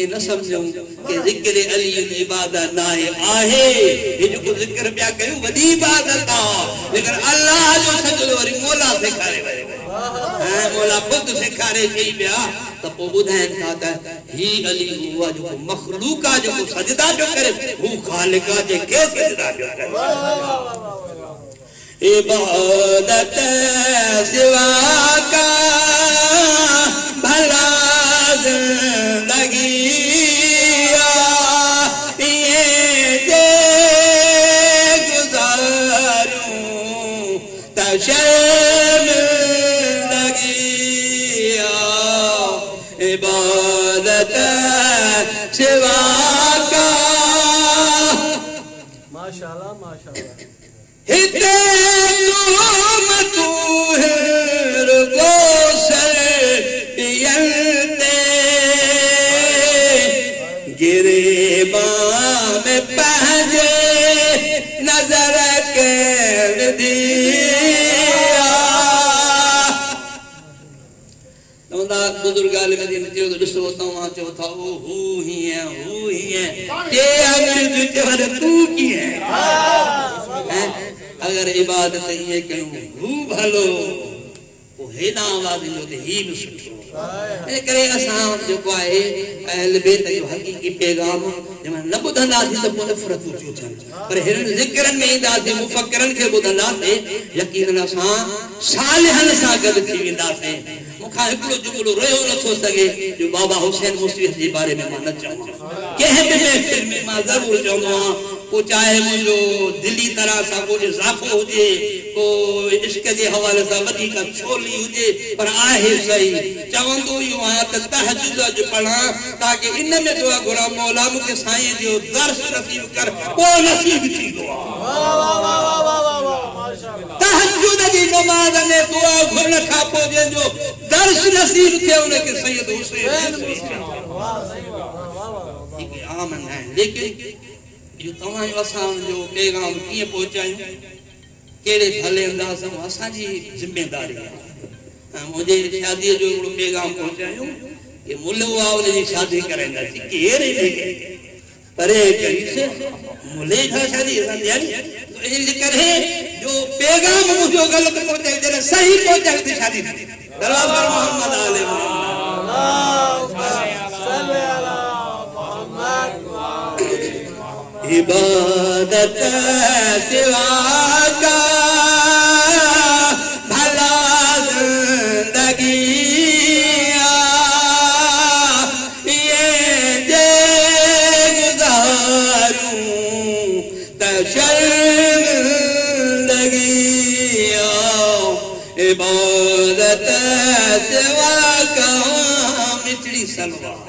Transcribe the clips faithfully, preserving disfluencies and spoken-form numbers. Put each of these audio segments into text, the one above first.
ईअं न सम्झूं की ज़िक्र अली इबादत न आहे आहे हे जेको ज़िक्र पिया कयूं वॾी इबादत आहे, लेकिन अल्लाह जो सजदो वरी मौला सेखारे वरी ऐं मौला ख़ुदि सेखारे चई पिया त पोइ ॿुधाइनि था त ही अली उहो आहे जेको मख़लूक आहे, जेको सजदा पियो करे हू ख़ालिक आहे जेके सजदा पियो करे। इबादत सिवा का भला ज़िंदगी ये जे गुज़ारूं त शर्म लगी इबादत सिवा का। माशाअल्लाह माशाअल्लाह। हिते तुम तू रुगो सर पियलते गिरेबां में पंहिंजे नज़र कर दिया। बुज़ुर्ग आले मदीना चयो त ॾिसो तव्हां चओ था ओ हू हीअं हू हीअं टे आङुरियूं चवनि तूं कीअं। अगरि इबादत ईअं कयूं हू भलो पोइ हेॾां आवाज़ ईंदो त ही बि सुठो। इन करे असां जेको आहे अहल बैत जो हक़ीक़ी पैगाम जंहिंमहिल न ॿुधंदासीं त पोइ नफ़रतूं थियूं थियनि, पर हिननि ज़िक्रनि में ईंदासीं मुफ़क्किरनि खे ॿुधंदासीं यकीनन असां सालिहनि सां गॾु थी वेंदासीं। मूंखां हिकिड़ो जुमिलो रहियो नथो सघे जो बाबा हुसैन मुसीहत जे बारे में मां न चवां। कंहिं बि महफ़िल में मां ज़रूरु चवंदो आहियां, पोइ चाहे मुंहिंजो दिली तरह सां को इज़ाफ़ो हुजे, को इश्क जे हवाले सां वधीक छोली हुजे, पर आहे सही। चवंदो इहो आहियां त तहज्जुद अॼु पढ़ां ताकी इन में दुआ घुरां मौला मूंखे साईं जो दर्श नसीब कर, पोइ नसीब थींदो आहे। तहज्जुद जी नमाज़ में दुआ घुरण खां पोइ जंहिंजो दर्श नसीब थिए उनखे सैयद हुसैन आम न आहिनि। लेकिन इहो तव्हांजो असांजो पैगाम कीअं पहुचायूं, कहिड़े भले अंदाज़ सां, असांजी ज़िम्मेदारी आहे। ऐं मुंहिंजे शादीअ जो हिकिड़ो पैगाम पहुचायूं की मुलो आहे उनजी शादी कराईंदासीं, केरु इन परे कईसि मुले खां शादी असां तयारी। इन जे करे जो पैगाम मुंहिंजो ग़लति पहुचाए, जॾहिं सही पहुचाए त शादी थी। बराबर मोहम्मद आले इबादत सिवा का भला ज़िंदगी ये जे गुज़ारूं त शर्मिंदगी इबादत सिवा का मिठड़ी सलवार।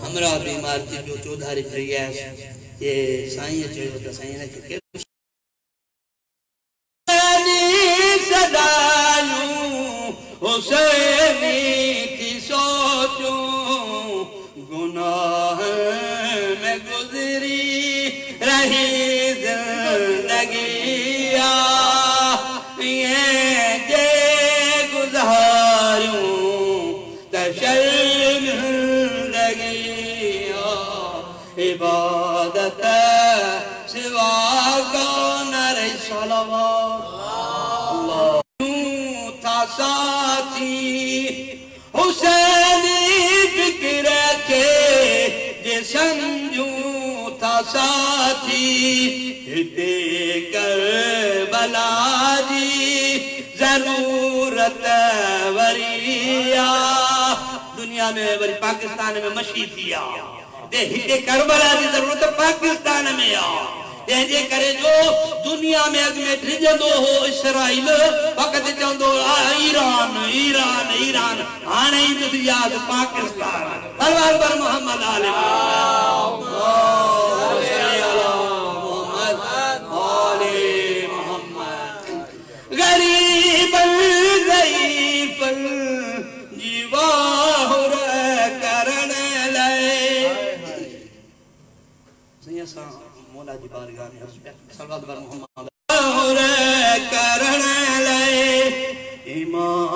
हमरा बीमार थी जो चौधारी फिरी आयुसि, जे साईं चयो त साईं हिनखे सदायूं हुसैनी थी सोचूं गुनाह में गुज़री रही ज़िंदगी ईअं जे गुज़ारूं त शर्मिंदगी इबादत सिवा का न रही सलावत। था साथी हुसैनी फ़िक्र खे जे सम्झूं था साथी हिते करबला जी ज़रूरत वरी आहे। दुनिया में वरी पाकिस्तान में मशी थी आहे, हिते करबला जी ज़रूरत पाकिस्तान में आहे। तंहिंजे करे जो दुनिया में अॻु में डिॼंदो हो इसराइल, वक़्तु चवंदो ईरान ईरान ईरान, हाणे ईंदुसि यादि पाकिस्तान। तलवार पर मोहम्मद आले ग़रीब ज़ईफ़ जी वाहुर करण लाइ। साईं असां मौला जी बारगाह में अर्ज़ पिया सलवात पर मोहम्मद करण लाइ ईमान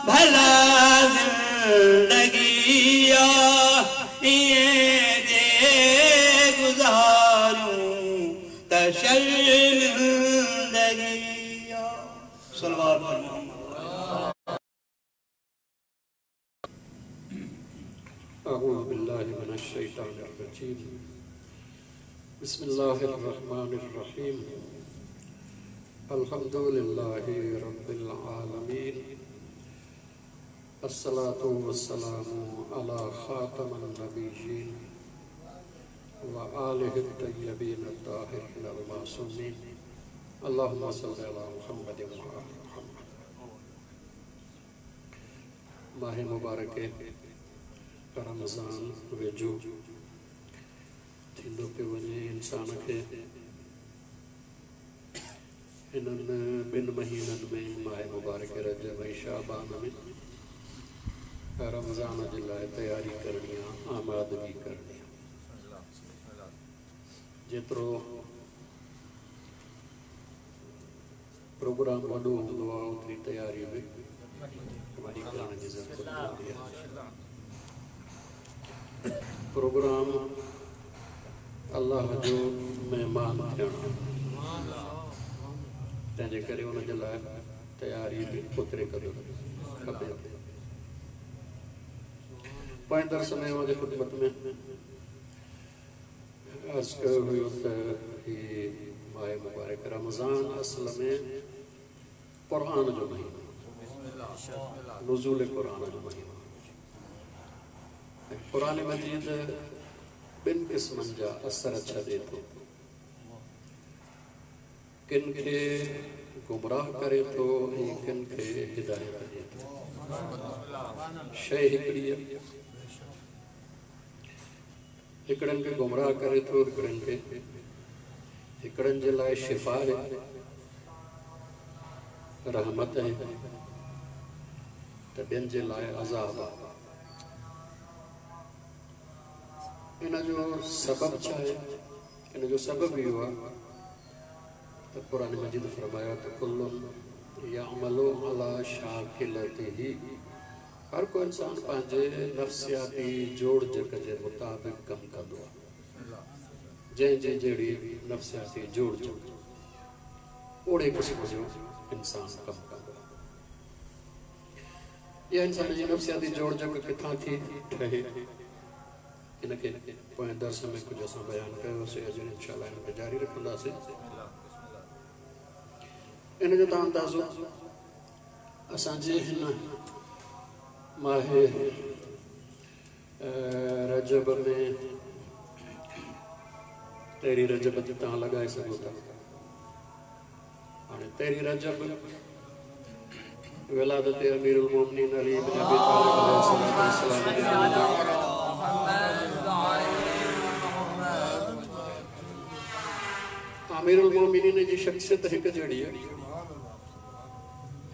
भला ज़िंदगी आ ईअं जे गुज़ारूं त शर्मिंदगी आ। सलवात पढ़ो। अऊज़ु बिल्लाहि मिनश शैतानिर रजीम। बिस्मिल्लाहिर रहमानिर रहीम। अल्हम्दुलिल्लाहि रब्बिल आलमीन। अस्सलातु वस्सलामु अला खातमन नबिय्यीन व आलिहि तय्यबीन अत्ताहिरीन अल मासूमीन। अल्लाहुम्मा सल्लि अला मुहम्मद व आलि मुहम्मद। माह मुबारक रमज़ान वेझो थींदो पियो वञे। इंसान खे हिननि ॿिनि महीननि में माह मुबारक रजब ऐं शाबान में रमज़ान जे लाइ तयारी करणी आहे, आमादगी करणी आहे। जेतिरो प्रोग्राम वॾो हूंदो आहे ओतिरी तयारी बि वॾी करण जी ज़रूरत हूंदी आहे। प्रोग्राम अलाह जो महिमान थियणु, तंहिंजे करे उनजे लाइ तयारी बि ओतिरे क़दुरु खपे। पोएं दर्स में मुंहिंजी ख़िदमत में अर्ज़ कयो हुयो त हीउ माह मुबारक रमज़ान असल में क़ुर जो महीनो, नुज़ूल क़ुर जो महीनो। क़ुर मजीद ॿिनि क़िस्मनि जा असर छॾे थो। किन खे गुमराह करे थो ऐं किन खे हिदायत ॾिए थो। शइ हिकिड़ी आहे, हिकिड़नि खे गुमराह करे थो, हिकिड़नि खे, हिकिड़नि जे लाइ शिफ़ा आहे, रहमत आहे, त ॿियनि जे लाइ अज़ाब आहे। इन जो सबबु छा आहे? इन जो सबबु इहो आहे त क़ुर मजीद फरमायो त कुल्लुन यअमलु अला शाकिलतिही, हर को इंसान पंहिंजे नफ़्सियाती जोड़जक जे मुताबिक़ कमु कंदो आहे। जंहिंजी जहिड़ी नफ़्सियाती जोड़जक ओड़े क़िस्म जो इंसान कमु कंदो आहे। इहा इंसान जी नफ़्सियाती जोड़जक किथां थी ठहे, इनखे पोएं दर्स में कुझु असां बयानु कयोसीं, अॼु इंशाअल्लाह हिनखे जारी रखंदासीं। इन जो तव्हां अंदाज़ो असांजे हिन माह रजब में तेरहीं रजब ते तव्हां लॻाए सघो था। हाणे तेरहीं रजब विलादत अमीरुल मोमिनीन अली इब्न अबी तालिब अलैहिस्सलाम। अमीरुल मोमिनीन जी शख्सियत हिकु जहिड़ी आहे,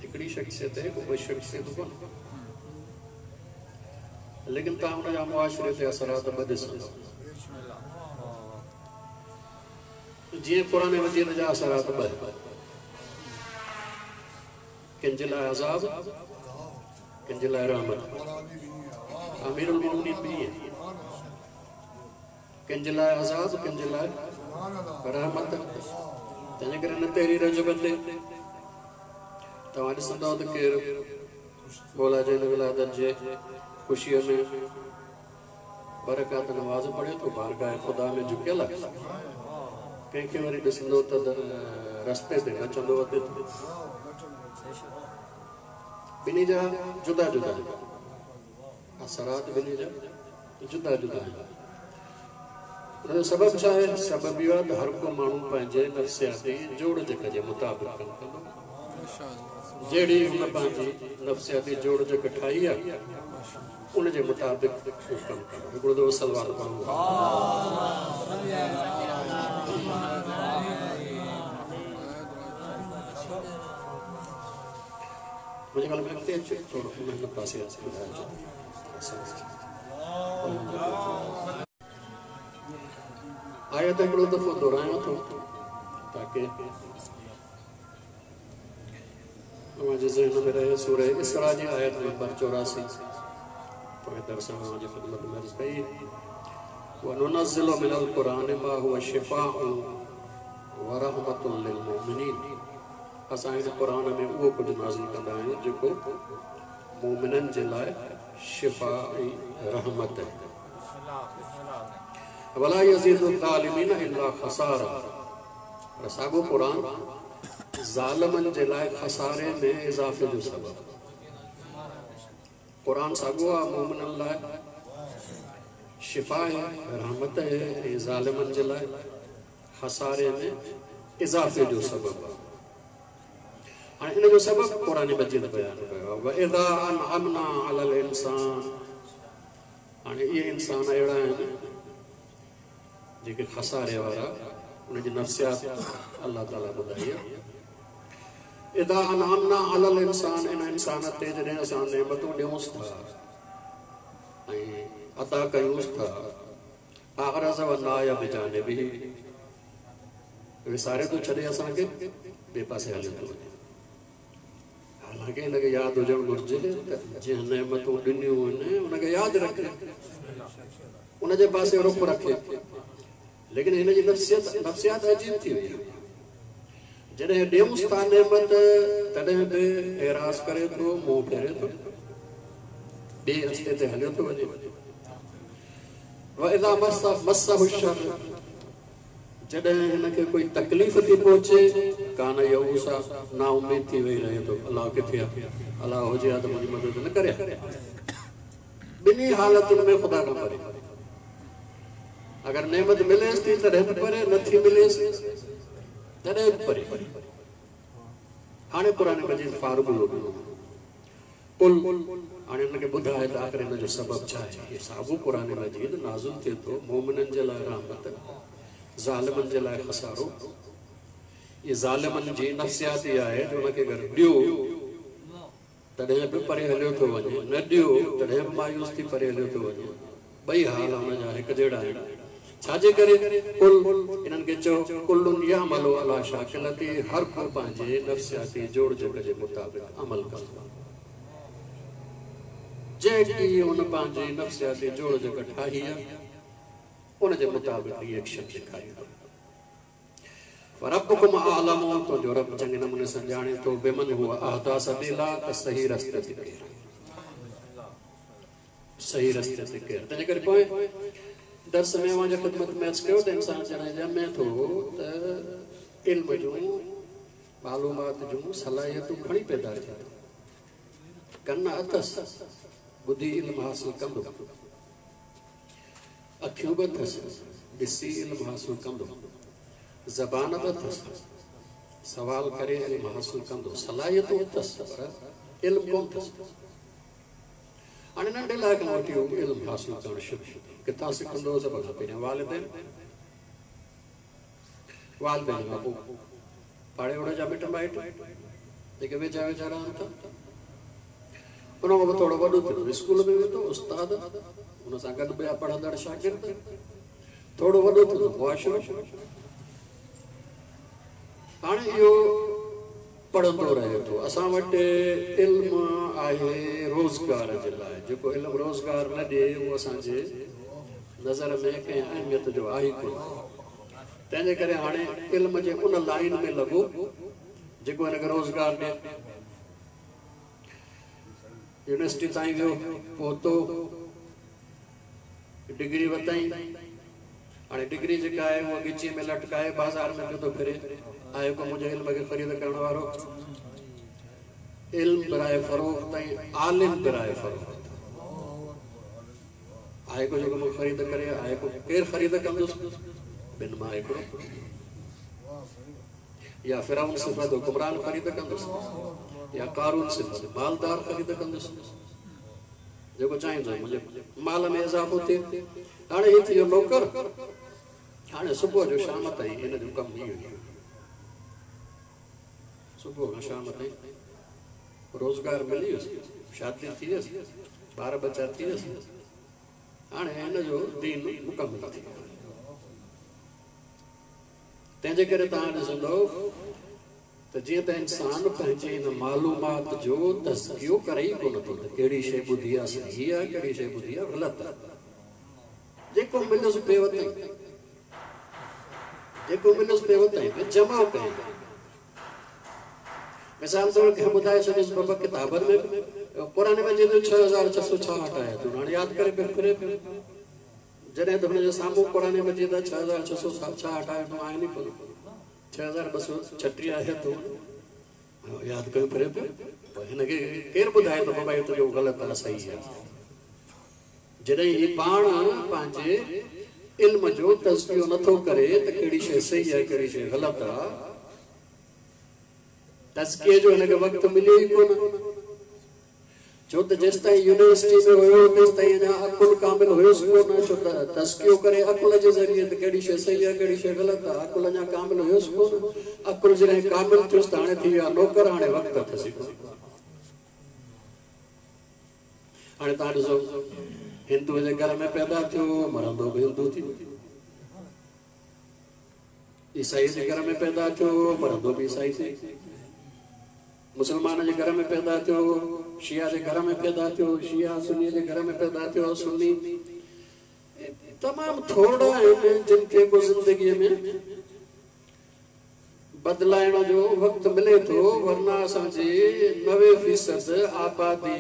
हिकिड़ी शख्सियत आहे, कोई शख्सियत कोन्हे, लेकिन तव्हां हुनजा मुआशरे ते असरात ॿ ॾिसंदव। जीअं क़ुर मजीद जा असरात ॿ, किन जे लाइ अज़ाब, किन जे लाइ रहमत। अमीरुल मोमिनीन बि ईअं, किन जे लाइ अज़ाब, किन जे लाइ रहमत। तंहिंजे करे हिन तेरहीं रजब ते तव्हां ॾिसंदव त केरु मौला जे विलादत जे ख़ुशीअ में बरकात नमाज़ पढ़े थो, बारगाह ख़ुदा में झुकियल आहे। कंहिंखे वरी ॾिसंदो त रस्ते ते नचंदो वधे थो। ॿिन्ही जा जुदा जुदा असरात, ॿिन्ही जा जुदा जुदा आहिनि। हुनजो सबबु छा आहे? सबबु इहो आहे त हर को माण्हू पंहिंजे नफ़्सियाती जोड़जक जे मुताबिक़ कमु कंदो। जहिड़ी हुन पंहिंजी नफ़्सियाती जोड़जक ठाही आहे उनजे मुताबिक़ कमु कंदो। हिकिड़ो दफ़ो सलवार पढ़ूं। मुंहिंजे ख़्याल में अॻिते अचो, थोरो हिन पासे ॿुधाइजो। आयत हिकिड़ो दफ़ो दोहरायां थो ताकी अव्हांजे ज़हन में रहे सूरह इसरा जी आयत नंबर चौरासी पोइ दर्स अव्हांजी ख़िदमत में अर्ज़ कई वनुनज़्ज़िलु मिनल क़ुरान मा हुवा शिफ़ाउन व रहमतुल लिलमुमिनीन। असां हिन क़ुरान में उहो कुझु नाज़िल कंदा आहियूं जेको मोमिननि जे लाइ शिफ़ा ऐं रहमत आहे। वला यज़ीदु ज़ालिमीन इल्ला ख़सारा। पर साॻियो क़ुरान ज़ालिमनि जे लाइ ख़सारे में इज़ाफ़े जो सबबु। क़ुरान साॻियो आहे मोमिननि लाइ शिफ़ा आहे, रहमत आहे ऐं ज़ालिमनि जे लाइ ख़सारे में इज़ाफ़े जो सबबु आहे। हाणे इन जो सबबु क़ुरान मजीद बयानु कयो आहे वइज़ा अनअमना अलल इंसान। हाणे इहे इंसान अहिड़ा आहिनि जेके ख़सारे वारा, उनजी नफ़्सियात अलाह ताला ॿुधाई आहे। इदा अनअमना अलल इंसान, इन इंसान ते जॾहिं असां नेमतूं ॾियूंसि था ऐं अता कयूंसि था, अअरज़ व नाया बिजानिबिही, विसारे थो छॾे असांखे, ॿिए पासे हलियो थो वञे। हालांकि हिनखे यादि हुजणु घुरिजे त जंहिं नेमतूं ॾिनियूं आहिनि उनखे यादि रखे, उनजे पासे रुख रखे। लेकिन हिन जी नफ़्सियत नफ़्सियात अजीब थी वई आहे। जॾहिं ॾियूंसि था नेमत तॾहिं बि एराज़ करे थो, मुंहुं फेरे थो, ॿिए रस्ते ते हलियो थो वञे। वइज़ा मस्सहु शर्र, जॾहिं हिनखे कोई तकलीफ़ थी पहुचे, कान यऊसा, नाउमीद थी वेही रहे थो, अलाह किथे आहे, अलाह हुजे हा त मुंहिंजी मदद न करे। ॿिन्ही हालतुनि में ख़ुदा खां परे। अगरि नेमत मिलेसि थी तॾहिं बि परे, नथी मिलेसि तॾहिं बि परे। हाणे क़ुरान मजीद फार्मूलो ॾिनो, कुल, हाणे हुनखे ॿुधाए त आख़िर हिन जो सबबु छा आहे। इहो साॻियो क़ुरान मजीद नाज़िल थिए थो मोमिननि जे लाइ रहमत, ज़ालिमनि जे लाइ ख़सारो। इहे ज़ालिमनि जी नफ़्सियात इहा आहे जो हुनखे अगरि ॾियो तॾहिं बि परे हलियो थो वञे, न ॾियो तॾहिं बि मायूस थी परे हलियो थो वञे। ॿई हाल हुनजा हिकु जहिड़ा आहिनि। छाजे करे? कुल, इन्हनि खे चओ कुलुन यामलु अला शाकिलती, हर को पंहिंजे नफ़्सियाती जोड़जक जे मुताबिक़ अमल कंदो। जेकी हुन पंहिंजी नफ़्सियाती जोड़जक ठाही आहे उनजे मुताबिक़ रिएक्शन ॾेखारींदो। रब्बुकुम आलम, तुंहिंजो रब चङे नमूने सां ॼाणे थो, बिमन हुआ अहदा सबीला, त सही रस्ते ते केरु, सही रस्ते ते केरु। तंहिंजे करे पोइ दर्स में अव्हांजे ख़िदमत में अर्ज़ु कयो त इंसान जॾहिं ॼमे थो त इल्म जूं मालूमात जूं सलाहियतूं खणी पैदा थिए थो। कन अथसि, ॿुधी इल्म हासिल कंदो, अखियूं बि अथसि, ॾिसी इल्म हासिल कंदो, ज़बान बि अथसि, सवाल करे इल्म हासिल कंदो, सलाहियतूं अथसि पर इल्म कोन अथसि। हाणे नंढे लाइ खां वठी उहो इल्म हासिल करणु शुरू किथां सिखंदो? सभ खां पहिरियां वालिदैन, वालिदैन खां पोइ पाड़े ओड़े जा मिट माइट जेके वेझा वेझा रहनि था। उन खां पोइ थोरो वॾो थींदो, स्कूल में वेंदो, उस्ताद, उन सां गॾु ॿिया पढ़ंदड़ शागिर्द, थोरो वॾो थींदो मुआशिरो। हाणे इहो पढ़ंदो रहे थो। असां वटि इल्म आहे रोज़गार जे लाइ, जेको इल्म रोज़गार न ॾिए उहो असांजे नज़र में कंहिं अहमियत जो आहे कोन। तंहिंजे करे हाणे इल्म जे उन लाइन में लॻो जेको हिनखे रोज़गार ॾिए। यूनिवर्सिटी ताईं वियो, पहुतो, डिग्री वरितई। हाणे डिग्री जेका आहे उहा ॻिचीअ में लटकाए बाज़ार में पियो थो फिरे, आहे को मुंहिंजे इल्म खे ख़रीद करण वारो? इल्म बराए फ़रोख़्त ऐं आलिम बराए फ़रोख़्त। आहे को जेको मूंखे ख़रीद करे? आहे को केरु ख़रीद कंदुसि? ॿिनि मां हिकिड़ो, या फिरौन सिफ़त हुकुमरान ख़रीद कंदुसि, या कारून सिफ़त मालदार ख़रीद कंदुसि, जेको चाहींदो मुंहिंजे माल में इज़ाफ़ो थिए। हाणे हीउ थी वियो नौकर। हाणे सुबुह जो शाम ताईं हिन जो कमु इहो ई, सुबुह खां शाम ताईं रोज़गार मिली वियुसि, शादी थी वियसि, ॿार बच्चा थी वियसि, हाणे हिन जो दीन मुकमल थी वियो। तंहिंजे करे तव्हां ॾिसंदव त त जीअं त इंसान पंहिंजे इन मालूमात जो तज़कियो करे ई कोन थो त कहिड़ी शइ ॿुधी आहे सही आहे, कहिड़ी शइ ॿुधी आहे ग़लति आहे। जेको मिलियुसि पियो वतई, जेको मिलियुसि पियो वतई, जमा कयईं। मिसाल तौर कंहिं ॿुधाए छॾियोसि बाबा किताबनि में क़ुर मजीद में छह हज़ार छह सौ छाहठि आयतूं, हाणे यादि करे पियो फिरे पियो। जॾहिं त हुनजे साम्हूं क़ुर मजीद छह हज़ार छह सौ छाहठि आयतूं आहिनि ई कोन, छह हज़ार ॿ सौ छटीह आयतूं यादि कयो फिरे पियो। पोइ हिनखे केरु ॿुधाए थो बाबा इहो तुंहिंजो ग़लति आहे सही आहे। जॾहिं हीउ पाण पंहिंजे इल्म जो तज़कियो नथो करे त कहिड़ी शइ सही आहे कहिड़ी शइ ग़लति आहे, तज़किए जो हिनखे वक़्तु मिलियो ई कोन। छो त जेसि ताईं यूनिवर्सिटी में हुयो तेसि ताईं अञा अकुल कामिल हुयोसि कोन। छो त तज़कियो करे अकुल जे ज़रिए त कहिड़ी शइ सही आहे कहिड़ी शइ ग़लति आहे, अकुल अञा कामिल हुयोसि कोन। अकुल जॾहिं कामिल थियोसि त हाणे थी वियो आहे नौकर, हाणे वक़्तु अथसि कोन। हाणे तव्हां ॾिसो हिंदू जे घर में पैदा थियो, मरंदो बि हिंदू थी। ईसाई जे घर में पैदा थियो, मरंदो बि ईसाई थी। मुसलमान जे घर में पैदा थियो, शिया जे घर में पैदा थियो, शिया सुन्नी जे घर में पैदा थियो, सुन्नी। तमामु थोरा आहिनि जिन खे को ज़िंदगीअ में बदिलाइण जो वक़्तु मिले थो, वरना असांजी नवे फ़ीसद आबादी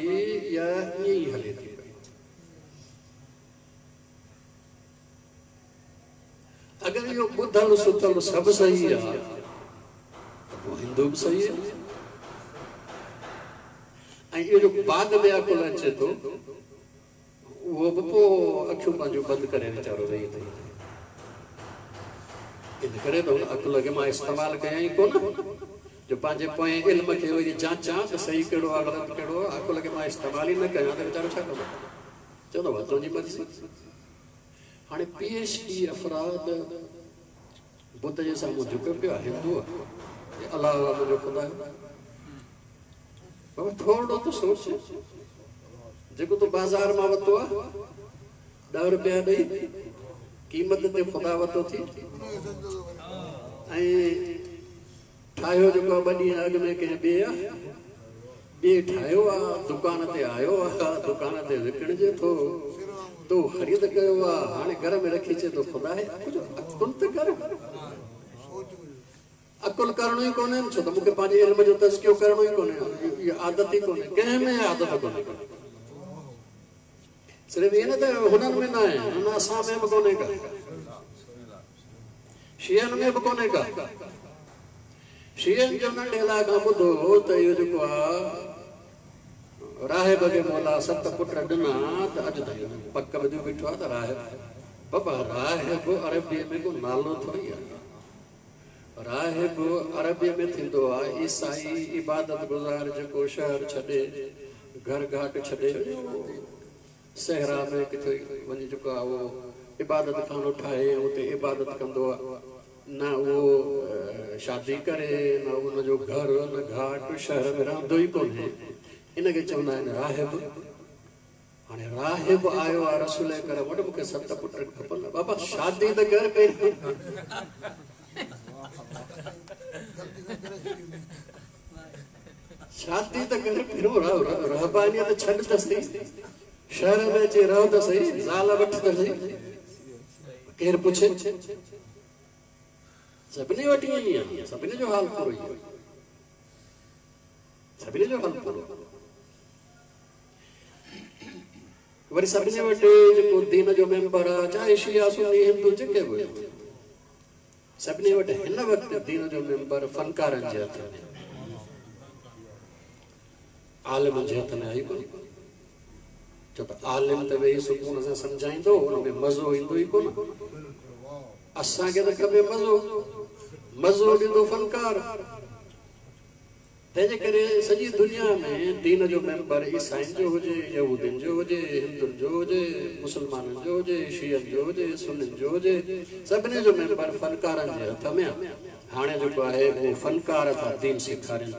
या ईअं ई हले थी पई। अगरि इहो ॿुधल सुथल सभु सही आहे त पोइ हिंदू बि सही आहे। ऐं इहो जो बाद में अकुल अचे थो उहो बि पोइ अखियूं पंहिंजूं बंदि करे वीचारो वेही थो। इन करे त हुन अकुल खे मां इस्तेमालु कयां ई कोन, जो पंहिंजे पोएं इल्म खे वरी जांचां त सही कहिड़ो आहे ग़लति कहिड़ो आहे। अकुल खे मां इस्तेमालु ई न कयां त वीचारो छा कंदो, चवंदो भाउ तुंहिंजी मर्ज़ी। हाणे पी एच डी अफ़राद बुत जे साम्हूं झुके पियो आहे, हिंदू आहे, अलाह मुंहिंजो ख़ुदा आहे। बाबा थोरो त सोच, जेको तूं बाज़ार मां वरितो आहे ॾह रुपया ॾेई क़ीमत ते ख़ुदा वरितो थी, ऐं ठाहियो जेको आहे ॿ ॾींहं अॻु में कंहिं ॿिए आहे, ॿिए ठाहियो आहे, दुकान ते आयो आहे, दुकान ते विकिणिजे थो, तो ख़रीद कयो आहे, हाणे घर में रखी अचे थो ख़ुदा आहे। कुझु अकुल त कर, अकुल करिणो ई कोन्हे, छो त मूंखे पंहिंजे इल्म जो तज़कियो करिणो ई कोन्हे, इहा आदत ई कोन्हे, कंहिं में आदत कोन्हे। सिर्फ़ु ईअं न त हुननि में न आहे, न असां में बि कोन्हे का, शियनि में बि कोन्हे का। शियनि जो नंढे लाइ खां ॿुधो त इहो जेको आहे राहिब खे मौला सत पुट ॾिना त अॼु ताईं पक ॿुधियो बीठो आहे त राहिब। बाबा राहिब अरबीअ में को नालो थोरी आहे, राहिब अरबीअ में थींदो आहे ईसाई इबादत गुज़ार जेको शहर छॾे घर घाट छॾे सहरा में किथे वञी जेको आहे उहो इबादत खानो ठाहे उते इबादत कंदो आहे, न उहो शादी करे न उनजो घर न घाट, शहर में रहंदो ई कोन्हे, इनखे चवंदा आहिनि राहिब। हाणे राहिब आयो आहे रसूल करम वटि, मूंखे सत पुट खपनि। बाबा शादी त कर पहिरीं, शादी त कर पहिरियों, रहबानियत छॾ त सही, शहर में अची रहो त सही, ज़ाल वठि त सही, केरु पुछे? सभिनी वटि ईअं ई आहे, सभिनी जो हाल पूरो ई आहे, सभिनी जो हाल पूरो। वरी सभिनी वटि जेको दीन जो मेंबर आहे, चाहे शिया सुन्नी हिंदू जेके बि, सभिनी वटि हिन वक़्तु दीन जो मेंबर फनकारनि जे हथ में, आलिमनि जे हथ में आई कोन। छो त आलिम त वेही सुकून सां सम्झाईंदो, हुन में मज़ो ईंदो ई कोन। असांखे त खपे मज़ो, मज़ो ॾींदो फनकार। तंहिंजे करे सॼी दुनिया में दीन जो मेंबर ईसाइनि जो हुजे, यहूदियुनि जो हुजे, हिंदुनि जो हुजे, मुसलमाननि जो हुजे, शियनि जो हुजे, सुन्नियुनि जो हुजे, सभिनी जो मेंबर फनकारनि जे हथ में आहे। हाणे जेको आहे उहो फनकार था दीन सेखारनि।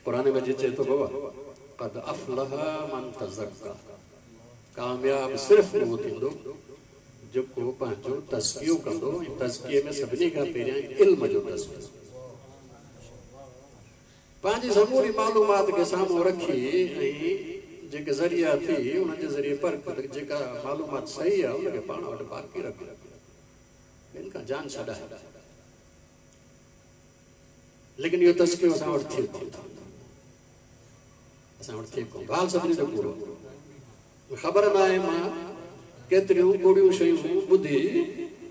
क़ुर मजीद चए थो बाबा क़द अफ़लह मन तज़क्का, कामयाब सिर्फ़ उहो थींदो जेको पंहिंजो तज़कियो कंदो। ऐं तज़किए में सभिनी खां पहिरियां इल्म जो तज़कियो, पंहिंजी समूरी मालूमात खे साम्हूं रखी ऐं जेके ज़रिया थी उन्हनि जे ज़रिए परख जेका मालूमात सही आहे उनखे पाण वटि बाक़ी रख, ॿियनि खां जान छॾाए। लेकिन इहो तज़कियो असां वटि थिए कोन थो, असां वटि थिए कोन। हाल सभिनी जो पूरो ख़बर न आहे मां केतिरियूं कूड़ियूं शयूं ॿुधी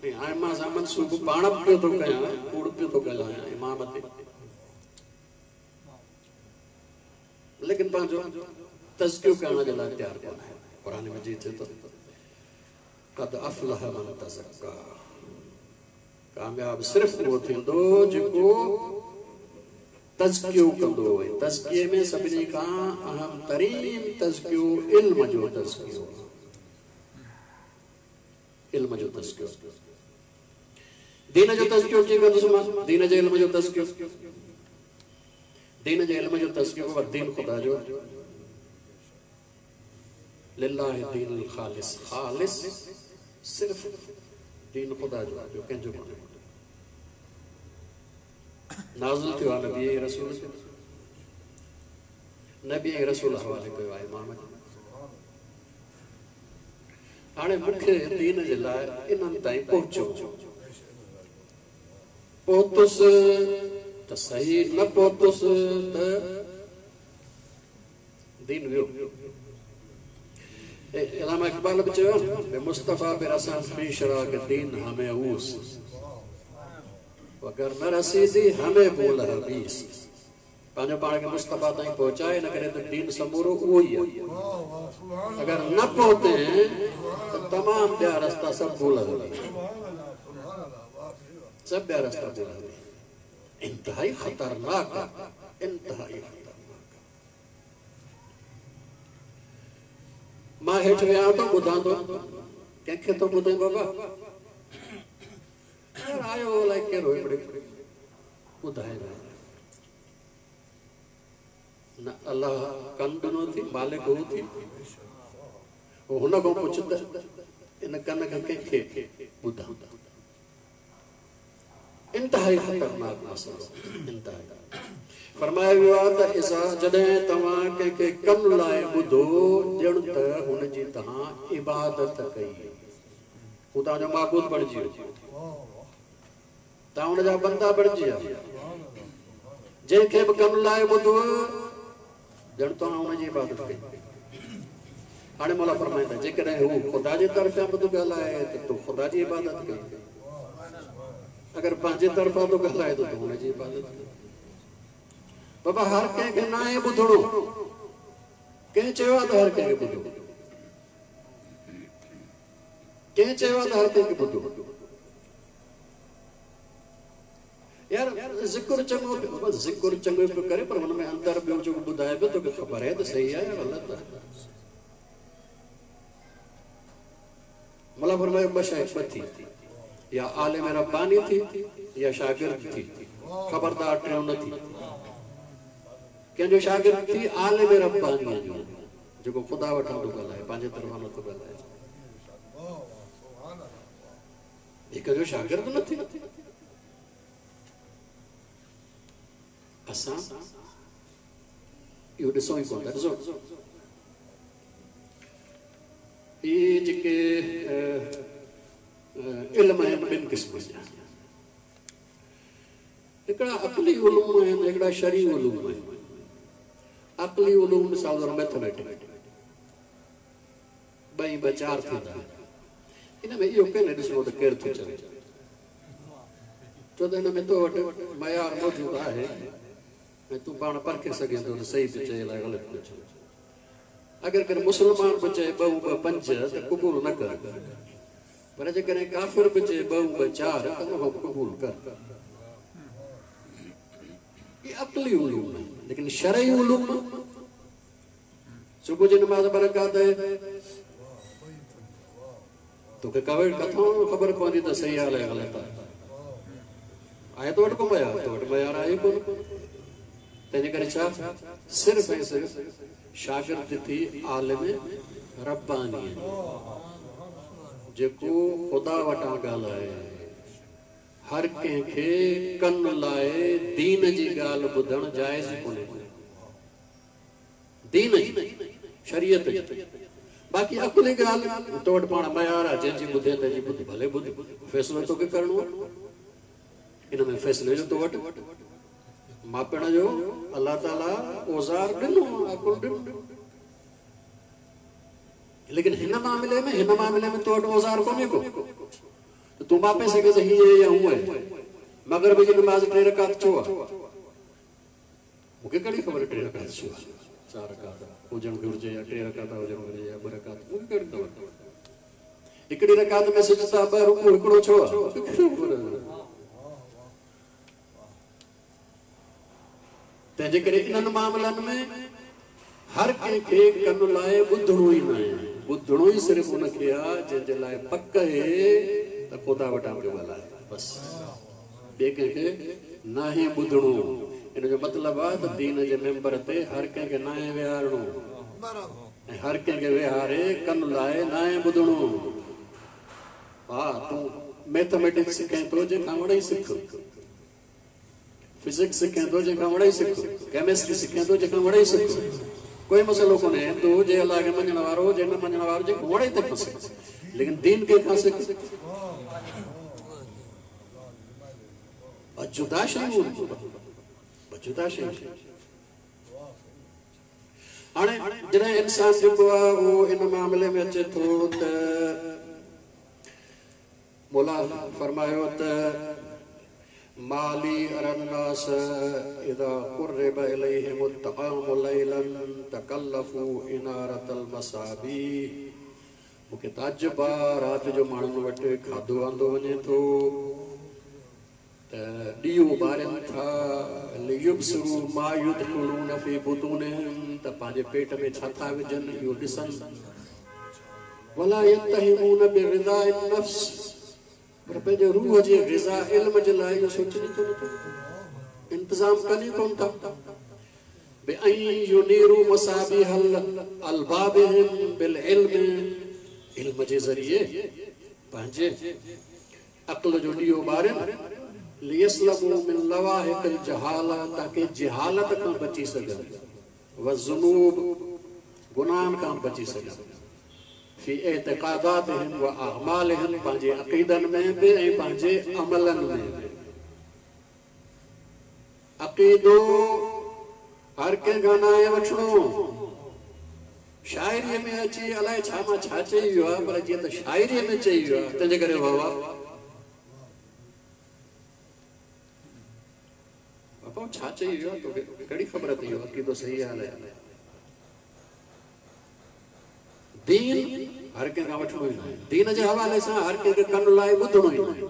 ऐं हाणे मां सां मनसूब पाण बि पियो थो कयां, कूड़ पियो थो ॻाल्हायां इमाम ते, लेकिन पंहिंजो तज़कियो करण जे लाइ तयारु कोन आहे। क़ुर मजीद चए थो कद अफ़लह मन तज़क्का, कामयाब सिर्फ़ उहो थींदो जेको तज़कियो कंदो। ऐं तज़किए में सभिनी खां अहम तरीन तज़कियो इल्म जो तज़कियो, इल्म जो तज़कियो। दीन जो तज़कियो कीअं कंदुसि मां? दीन जे इल्म जो तज़कियो, दीन जे इल्म जो तज़कियो बाबा दीन ख़ुदा जो, लिल्लाहि दीन ख़ालिस, ख़ालिस सिर्फ़ दीन ख़ुदा जो, जो कंहिंजो कोन्हे। नाज़िल थियो आहे नबी ऐं रसूल ते, नबी ऐं रसूल हवाले कयो आहे इमाम खे। हाणे मूंखे दीन जे लाइ इन्हनि ताईं पहुचो, पहुतुसि त सही, न पहुतुसि त दीन वियो। इलामा इक़बाल बि चयो आहे मुस्तफ़ा बि रसन फीशरा के दीन हमें ऊस, अगरि न रसीदी हमें बोल हबीस। पंहिंजो पाण खे मुस्तफ़ा ताईं पहुचाए, इन करे त दीन समूरो उहो ई आहे। अगरि न पहुते त तमामु ॿिया रस्ता सभु बोल हबीस, सभु ॿिया रस्ता बोल हबीस। इंतिहाई ख़तरनाक आहे, इंतिहाई ख़तरनाक। मां हेठि वियां थो ॿुधां थो, कंहिंखे थो ॿुधाई बाबा? यार आयो अलाए कहिड़ो हिकिड़े ॿुधाए न अलाह कन ॾिनो थी, मालिक हू थी, हुन खां पुछ त इन कन खे कंहिंखे ॿुधां। इंतिहाई ख़तरनाक मसइलो, इंतिहाई। फरमायो वियो आहे त इज़ा जॾहिं तव्हां कंहिंखे कन लाइ ॿुधो, ॼण त हुनजी तव्हां इबादत कई, हू तव्हांजो माबूद बणिजी वियो, तव्हां हुनजा बंदा बणिजी विया। जंहिंखे बि कन लाइ ॿुधो, ॼण तव्हां हुनजी इबादत कई। हाणे मौला फरमाईंदा जेकॾहिं हू ख़ुदा जे तरफ़ां बि थो ॻाल्हाए त तूं ख़ुदा जी इबादत कई, अगरि पंहिंजे तरफ़ां थो ॻाल्हाए त तूं हुनजी इबादत कई। बाबा हर कंहिंखे न आहे ॿुधणो, कंहिं चयो आहे त हर कंहिंखे ॿुधो? कंहिं चयो आहे त हर कंहिंखे ॿुधो? यार ज़िक्र चङो, ज़िक्र चङो पियो करे, पर हुन में अंदरि ॿियो जेको ॿुधाए पियो तोखे ख़बर आहे त सही आहे या ग़लति आहे। मौला फरमायो ॿ शइ ॿ थी, या आलिम रब्बानी थी या शागिर्द थी, ख़बरदार टियों न थी। कंहिंजो शागिर्द थी? आलिम रब्बानीअ जो, जेको ख़ुदा वटां थो ॻाल्हाए, पंहिंजे तरफ़ां नथो ॻाल्हाए। हिक जो शागिर्द न थी। असां इहो ॾिसूं ई कोन था। ॾिसो इहे जेके इल्म आहिनि ॿिनि क़िस्मनि जा, हिकिड़ा अक़ली उलूम आहिनि, हिकिड़ा शरी उलूम आहिनि। अक़ली उलूम मिसाल तौरु मैथमेटिक, ॿई ॿ चारि थींदा आहिनि। इन में इहो कंहिं ॾिसणो त केरु थो चवे, छो त हिन में तो वटि मयार मौजूदु आहे ऐं तूं पाण परखे सघें थो त सही पियो चए अलाए ग़लति पियो चए। अगरि कंहिं मुस्लमान बि चए ॿ ॿ पंज त क़बूल न कर, पर जेकॾहिं काफ़िर बि चए ॿ ॿ चारि त उन खां क़बूल कर। इहे अक़ली उलूम आहिनि, लेकिन शरई उलूम सुबुह जी नमाज़ ॿ रकात आहे, तोखे किथां ख़बर पवंदी त सही आहे ग़लति आहे? आहे तो वटि को मयार? तो वटि मयार आहे कोन। तंहिंजे करे छा सिर्फ़ ऐं सिर्फ़ शागिर्द थी आलिम रब्बानी, जेको ख़ुदा वटां ॻाल्हाए। हर कंहिंखे कन लाए दीन जी ॻाल्हि ॿुधणु जाइज़ कोन्हे। दीन जी शरीयत जी, बाक़ी अक़ली ॻाल्हि तो वटि पाण मयार आहे, जंहिंजी ॿुधे तंहिंजी ॿुध, भले ॿुध, फ़ैसिलो तोखे करिणो आहे। इन में फ़ैसिले जो तो वटि मापण जो अल्लाह ताला औज़ार ॾिनो, अक़ुल ॾिनो, लेकिन हिन मामले में हिन मामले में तो वटि औज़ार कोन्हे को, त तूं मापे सघे त हीअं या हूअं आहे। मग़रिब जी नमाज़ टे रकात छो आहे? मूंखे कहिड़ी ख़बर टे रकात छो आहे, चार रकात हुजणु घुरिजे या टे रकात हुजणु घुरिजे या ॿ रकात, मूंखे कहिड़ी ख़बर। हिकिड़ी रकात में सजदा ॿ रुकू हिकिड़ो छो आहे? ख़बर। तंहिंजे करे इन्हनि मामलनि में हर कंहिंखे कन लाए ॿुधणो ई न आहे। ॿुधणो ई सिर्फ़ु उनखे आहे जंहिंजे लाइ पक आहे त ख़ुदा वटां पियो ॻाल्हाए, बसि ॿिए कंहिंखे नाहे ॿुधणो। इन जो मतिलबु आहे त दीन जे मेंबर ते हर कंहिंखे नाहे विहारणो ऐं हर कंहिंखे विहारे कन लाए नाहे ॿुधणो। हा, तूं मैथमेटिक्स सिखें थो जंहिंखां वणेई सिख, फिजिक्स सिखें थो जंहिंखां वणेई सिख, केमिस्ट्री सिखें थो जंहिंखां वणेई सिख, कोई मसइलो कोन्हे। हिंदू हुजे, अल्लाह खे मञण वारो हुजे, न मञण वारो हुजे, वणे तंहिंखां सिख, लेकिन दीन कंहिंखां सिख? जुदा शयूं, जुदा शयूं। हाणे जॾहिं इंसान जेको आहे उहो इन मामले में अचे थो त मौला फरमायो त माली अरन्नास इदा कुर्रिब इलैहिम अत्तआम लैलन तकल्लफू इनारतल मसाबी। मूंखे ताजुब आहे, राति जो माण्हुनि वटि खाधो आंदो वञे थो त ॾीओ ॿारनि था, लियुबसिरू मा युदखिलून फी बुतूनिहिम, त पंहिंजे पेट में छा था विझनि इहो ॾिसनि। वला यत्तहिमून बिग़िज़ाइन नफ्स, पर पंहिंजे रूह जे ग़िज़ा इल्म जे लाइ इहो सोचनि ई कोन था, इंतज़ाम कनि ई कोन था। बिअन युनीरू मसाबिह अल्बाबिहिम बिल इल्म, इल्म जे ज़रिए पंहिंजे अक़ल जो ॾीओ ॿारनि। लियस्लमू मिन लवाहिक़िल जहाला, ताकी जहालत खां बची सघनि, वज़ुनूब, गुनाहनि खां बची सघनि। फी एतिक़ादातिहिम व अअमालिहिम, पंहिंजे अक़ीदनि में बि ऐं पंहिंजे अमलनि में बि। अक़ीदो हर कंहिंखां नाहे वठिणो। शाइरीअ में अची अलाए छा मां छा चई वियो आहे, पर जीअं त शाइरीअ में चई वियो आहे तंहिंजे करे वाह वाह। बाबा छा चई वियो आहे तोखे कहिड़ी ख़बर अथई? इहो अक़ीदो सही आहे अलाए। दीन हर कंहिंखां वठिणो ई न आहे। दीन जे हवाले सां हर कंहिंखे कन लाए ॿुधणो ई न आहे,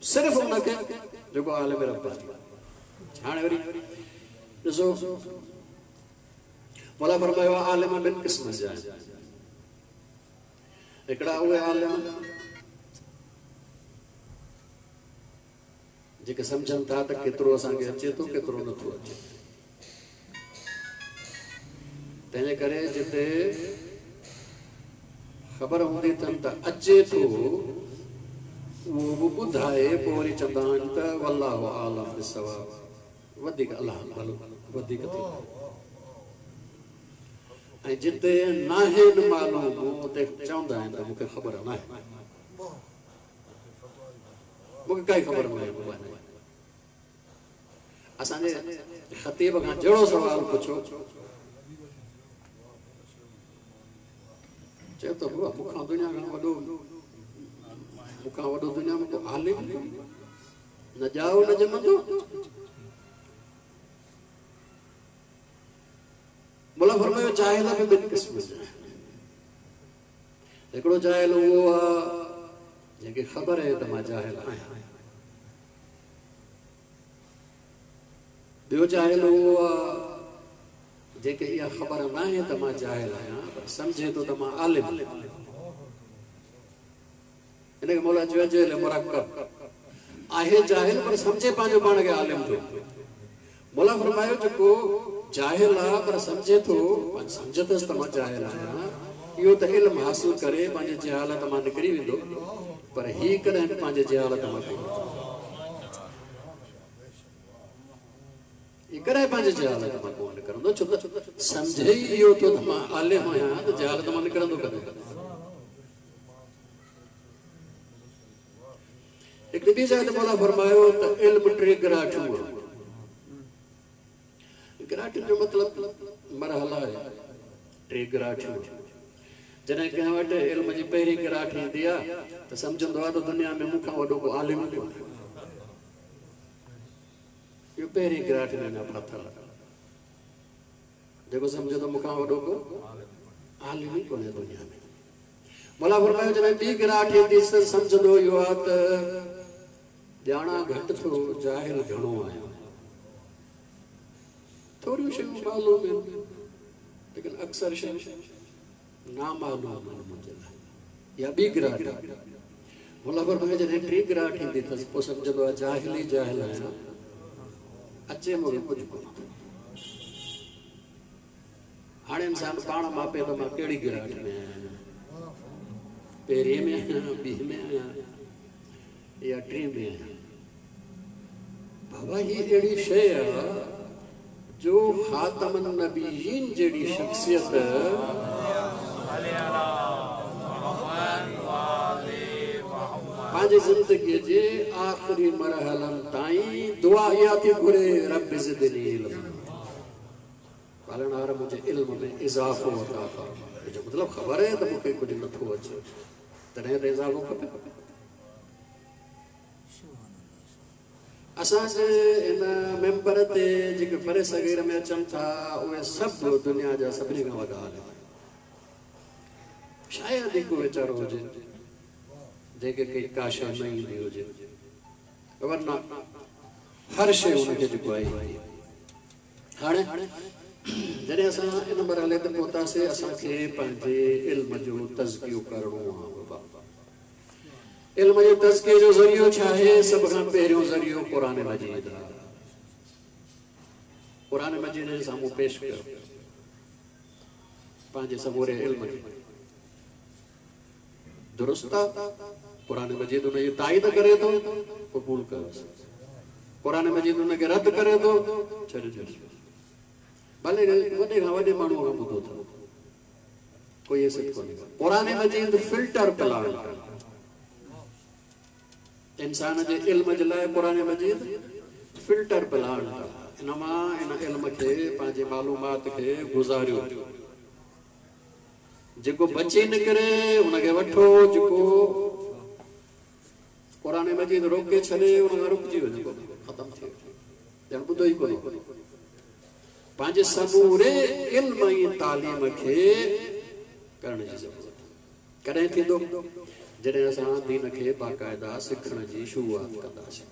सिर्फ़ु उनखे जेको आलिम रब्बानी। हाणे वरी ॾिसो, मौला फरमायो आलिम ॿिनि क़िस्मनि जा आहिनि। हिकिड़ा उहे आलिम जेके सम्झनि था त केतिरो असांखे अचे थो केतिरो नथो अचे, तंहिंजे करे जिते ख़बर हूंदी अथनि त अचे थो उहो बि ॿुधाए, पोइ वरी चवंदा आहिनि त वल्लाहु आलम बिस्सवाब, वधीक अलाह भलो वधीक थींदो। ऐं जिते नाहे मालूम उते चवंदा आहिनि त मूंखे ख़बर न आहे, मूंखे काई ख़बर न आहे। असांजे ख़तीब खां जहिड़ो सवाल पुछो, चए थो मूंखां दुनिया खां वॾो, मूंखां वॾो दुनिया में को आलिम न ॼाओ न ॼमंदो। मौला फरमायो जाहिल बि ॿिनि क़िस्मनि जा आहिनि। हिकिड़ो जाहिल उहो आहे जंहिंखे ख़बर आहे त मां जाहिल आहियां, ॿियो जाहिल उहो आहे जंहिंखे इहा ख़बर न आहे त मां जाहिल आहियां, पर सम्झे थो त मां आलिम। हिनखे मौला चयो जहिल मुरक्कब आहे, जाहिल पर सम्झे पंहिंजो पाण खे आलिम थो। मौला फरमायो जेको जाहिल आहे पर सम्झे थो, सम्झे अथसि त मां जाहिल आहियां, इहो त इल्मु हासिल करे पंहिंजे जहालत मां निकिरी वेंदो, पर ही कॾहिं बि पंहिंजे जहालत मां कोन, ही कॾहिं पंहिंजे जहालत मां कोन निकिरंदो, छो त सम्झे ई इहो थो त मां आलिम आहियां त जहालत मां निकिरंदो कॾहिं। हिकिड़ी ॿी जाइ ते मौला फरमायो त इल्मु टे गिराठियूं आहे। गिराठियुनि जो मतिलबु मरहला आहे, टे गिराठियूं। जॾहिं कंहिं वटि इल्म जी पहिरीं गिराठ ईंदी आहे त सम्झंदो आहे त दुनिया में मूंखां वॾो को आलिम कोन्हे। इहो पहिरीं गिराठ में अञा फाथल आहे, जेको सम्झे थो मूंखां वॾो को आलिम ई कोन्हे दुनिया में। मौला फरमायो जॾहिं ॿी गिराठ ईंदी त सम्झंदो इहो आहे त ॼाणा घटि थो, जाहिल घणो आहियां, थोरियूं शयूं मालूम आहिनि लेकिन अक्सर शयूं नामालूम आहिनि मुंहिंजे लाइ। इहा ॿी गिराठ आहे। मौला फरमायो जॾहिं टी गिराठ ईंदी अथसि पोइ सम्झंदो आहे जाहिल ई जाहिल आहियां, अचे मूंखे कुझु कोन। हाणे इंसान पाण मापे त मां कहिड़ी गिराठ में आहियां, पहिरीं में आहियां, ॿी में आहियां या टीं में आहियां। बाबा हीअ अहिड़ी शइ आहे जो ख़ातमन नबीयीन जहिड़ी शख़्सियत पंहिंजी ज़िंदगीअ जे आख़िरी मरहलनि ताईं दुआ इहा थी घुरे, रब ज़िदनी इल्म, पालणहार मुंहिंजे इल्म में इज़ाफ़ो अता फरमा। मुंहिंजो मतिलबु ख़बर आहे त मूंखे कुझु नथो अचे, तॾहिं त इज़ाफ़ो खपे। असांजे इन मेंबर ते जेके परे सगीर में अचनि था उहे सभु दुनिया जा सभिनी खां वॾा आलिम आहिनि। शायदि को वीचारो हुजे जंहिंखे कई का शइ न ईंदी हुजे, वरना हर शइ हुनखे जेको आहे। हाणे जॾहिं असां इन मरहले ते पहुतासीं, असांखे पंहिंजे इल्म जो तज़कियो करिणो आहे। बाबा इल्म जे तज़किए जो ज़रियो छा आहे? सभ खां पहिरियों ज़रियो क़ुरान मजीद आहे। क़ुरान मजीद जे साम्हूं पेश कयो पंहिंजे समूरे इल्म खे, दुरुस्त आहे। क़ुरान मजीद हुनजी ताईद करे थो, क़बूल कयोसि। क़ुरान मजीद हुनखे रद्द करे थो, छॾी ॾियोसि। भले वॾे खां वॾे माण्हूअ खां ॿुधो अथव, कोई हैसियत कोन्हे। क़ुरान मजीद फिल्टर प्लान इंसान जे इल्म जे लाइ क़ुरान मजीद फिल्टर प्लान आहे। इन मां इन इल्म खे पंहिंजे मालूमात खे गुज़ारियो, जेको बची निकिरे हुनखे वठो, जेको क़ुरान मजीद रोके छॾे हुन खां रुकिजी वञो, ख़तमु थी वञो, ॼण ॿुधो ई कोन्हे। पंहिंजे समूरे इल्म ऐं तालीम खे करण जी ज़रूरत कॾहिं थींदो? जॾहिं असां दीन खे बाक़ाइदा सिखण जी शुरूआत कंदासीं।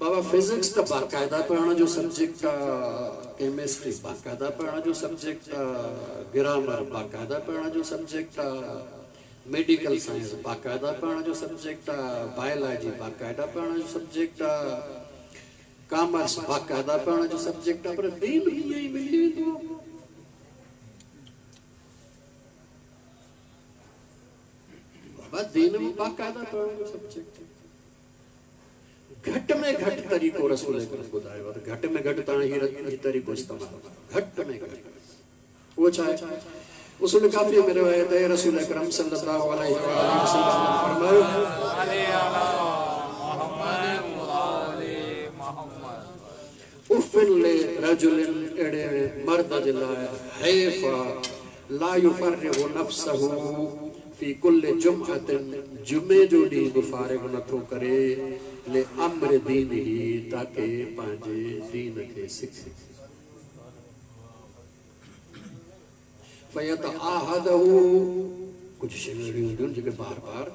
बाबा फिज़िक्स त बाक़ाइदा पढ़ण जो सब्जेक्ट आहे, केमिस्ट्री बाक़ाइदा पढ़ण जो सब्जेक्ट आहे, ग्रामर बाक़ाइदा पढ़ण जो सब्जेक्ट आहे, मेडिकल साइंस बाक़ाइदा पढ़ण जो सब्जेक्ट आहे, बायोलॉजी बाक़ाइदा पढ़ण जो सब्जेक्ट आहे, कॉमर्स बाक़ाइदा पढ़ण जो सब्जेक्ट आहे, पर दीन ईअं ई मिली वेंदो आहे। बाबा दीन बि बाक़ाइदा पढ़ण जो सब्जेक्ट आहे। घटि में घटि तरीक़ो रसूल अकरम ॿुधायो आहे त घटि में घटि तव्हां हीअ तरीक़ो इस्तेमालु कयो, घटि में घटि। उहो छा आहे? उसूल काफ़ी में रिवायत आहे, रसूल अकरम सल्लल्लाहु अलैहि वसल्लम फरमायो, उफ़िन ले रजुलिन, अहिड़े मर्द जे लाइ हैफ़ ला युफ़र्रिगु नफ़्सहु फ़ी कुल्ल जुमअतिन, जुमे जो ॾींहुं बि फ़ारिग नथो करे, ले अम्र दीन ही, ताकी पंहिंजे दीन खे सिखे। फयत आहदहु, कुझु शयूं अहिड़ियूं हूंदियूं आहिनि जेके बार बार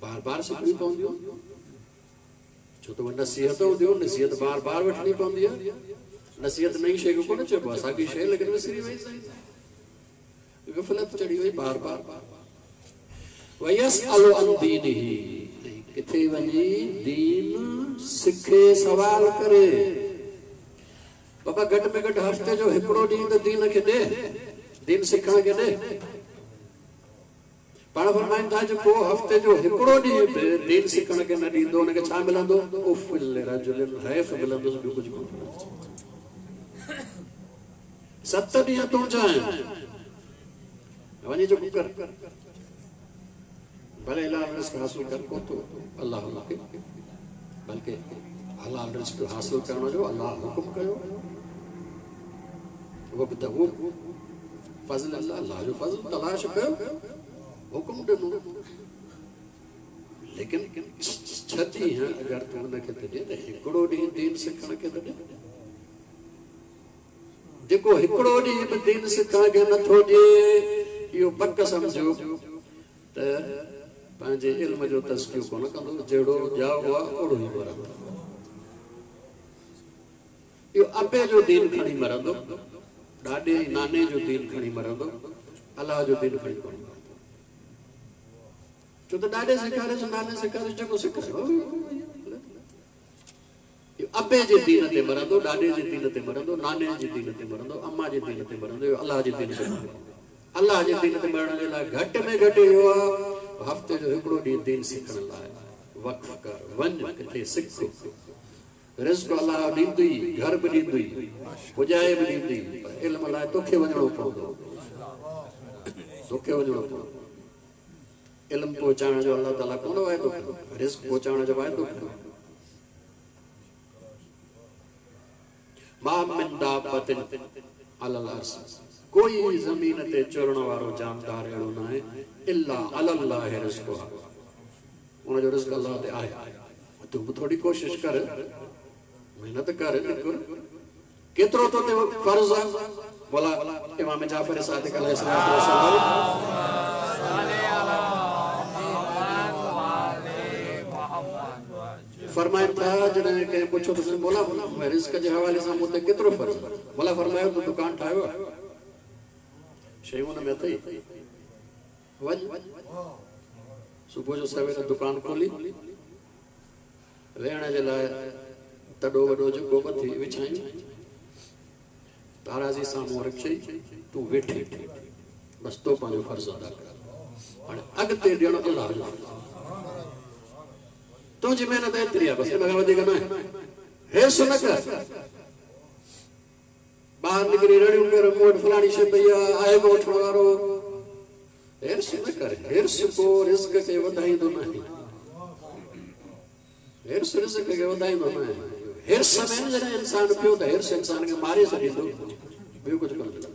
बार बार सिखणियूं पवंदियूं, छो त उहे नसीहत हूंदियूं, नसीहत बार बार वठणी पवंदी आहे। नसीहत नई शइ खे कोन चइबो आहे, साॻी शइ लेकिन विसरी वई, गफ़लत चढ़ी वई बार बार। वयसअलु अन दीनिही, किथे वञी दीन सिखे सवाल करे। बाबा घटि में घटि हफ़्ते जो हिकिड़ो ॾींहुं त दीन खे ॾे, दीन सिखण खे ॾे। पाण फरमाइनि था जेको हफ़्ते जो हिकिड़ो ॾींहुं बि दीन सिखण खे न ॾींदो हुनखे छा मिलंदो? उफ़ रजुलिन हैफ़ मिलंदुसि, ॿियो कुझु कोन। सत ॾींहं तुंहिंजा आहिनि, वञी जेको कर, भले हलाल रिज़्क हासिल कर को तो अलाह मूंखे, बल्कि हलाल रिज़्क हासिल करण जो अलाह हुकुम कयो। वबतगू फज़ल अल्लाह, अलाह जो फज़ल तलाश कयो, हुकुम ॾिनो। लेकिन छह ॾींहं अगरि तूं हुनखे त ॾे त हिकिड़ो ॾींहुं दीन सिखण खे त ॾे। जेको हिकिड़ो ॾींहुं बि दीन सिखण खे नथो ॾिए, इहो पक सम्झो त पंहिंजे इल्म जो तज़कियो कोन कंदो, जहिड़ो ॼाओ आहे ओहिड़ो ई मरंदो। इहो अबे जो दीन खणी मरंदो, ॾाॾे नाने जो दीन खणी मरंदो, अलाह जो दीन खणी कोन मरंदो। छो त ॾाॾे सेखारियोसि, नाने सेखारियोसि, जेको सेखारियो। इहो अबे जे दीन ते मरंदो, ॾाॾे जे दीन ते मरंदो, नाने जे दीन ते मरंदो, अम्मा जे दीन ते मरंदो, इहो अलाह जे दीन ते मरंदो। अलाह जे दीन ते मरण जे लाइ घटि में घटि इहो आहे हफ़्ते जो हिकिड़ो ॾींहुं दीन सिखण लाइ वक़्फ़ कर, वञ किथे सिख। रिज़्क अलाह ॾींदो ई, घर बि ॾींदो ई, पुॼाए बि ॾींदो ई, पर इल्म लाइ तोखे वञिणो पवंदो, तोखे वञिणो पवंदो। इल्म पहुचाइण जो अलाह ताला कोन वाइदो कयो, रिज़्क पहुचाइण जो वाइदो कयो। मा मिन दाबतिन अलल अर्ज़, कोई ज़मीन ते चुरण वारो जानदार अहिड़ो न आहे इल्ला अलल्लाह रिज़्कुहा, उनजो रिज़्क अलाह ते आहे। तूं बि थोरी कोशिश कर, मेहनत कर, निकिर। केतिरो तो ते फ़र्ज़ आहे? बोला इमाम जाफ़र सादिक अलैहिस्सलाम फरमाइनि था, जॾहिं कंहिं पुछियो त बोला रिज़्क जे हवाले सां मूं ते केतिरो फ़र्ज़ आहे? बोला फरमायो तूं दुकान ठाहियो आहे, शयूं हुन में अथई, वञ सुबुह जो सवेर दुकान खोली, वेहण जे लाइ तॾो वॾो जेको वठी विछायूं, ताराज़ी साम्हूं रखई, तूं वेठी, बसि तो पंहिंजो फ़र्ज़ अदा कर। हाणे अॻिते ॾियणु अलाह जो फ़र्ज़, तुंहिंजी महिनत एतिरी आहे, बसि इन खां वधीक न आहे। हेस न कर, ॿाहिरि निकिरी रड़ियूं कर, मूं वटि फलाणी शइ पई आहे, आहे को वठण वारो। हिर्स न कर, हिर्स को रिज़्क खे वधाईंदो न आहे, हिर्स रिज़्क खे वधाईंदो न आहे। हिर्स में जॾहिं इंसान पियो त हिर्स इंसान खे मारे छॾींदो, ॿियो कुझु कोन मिलंदो।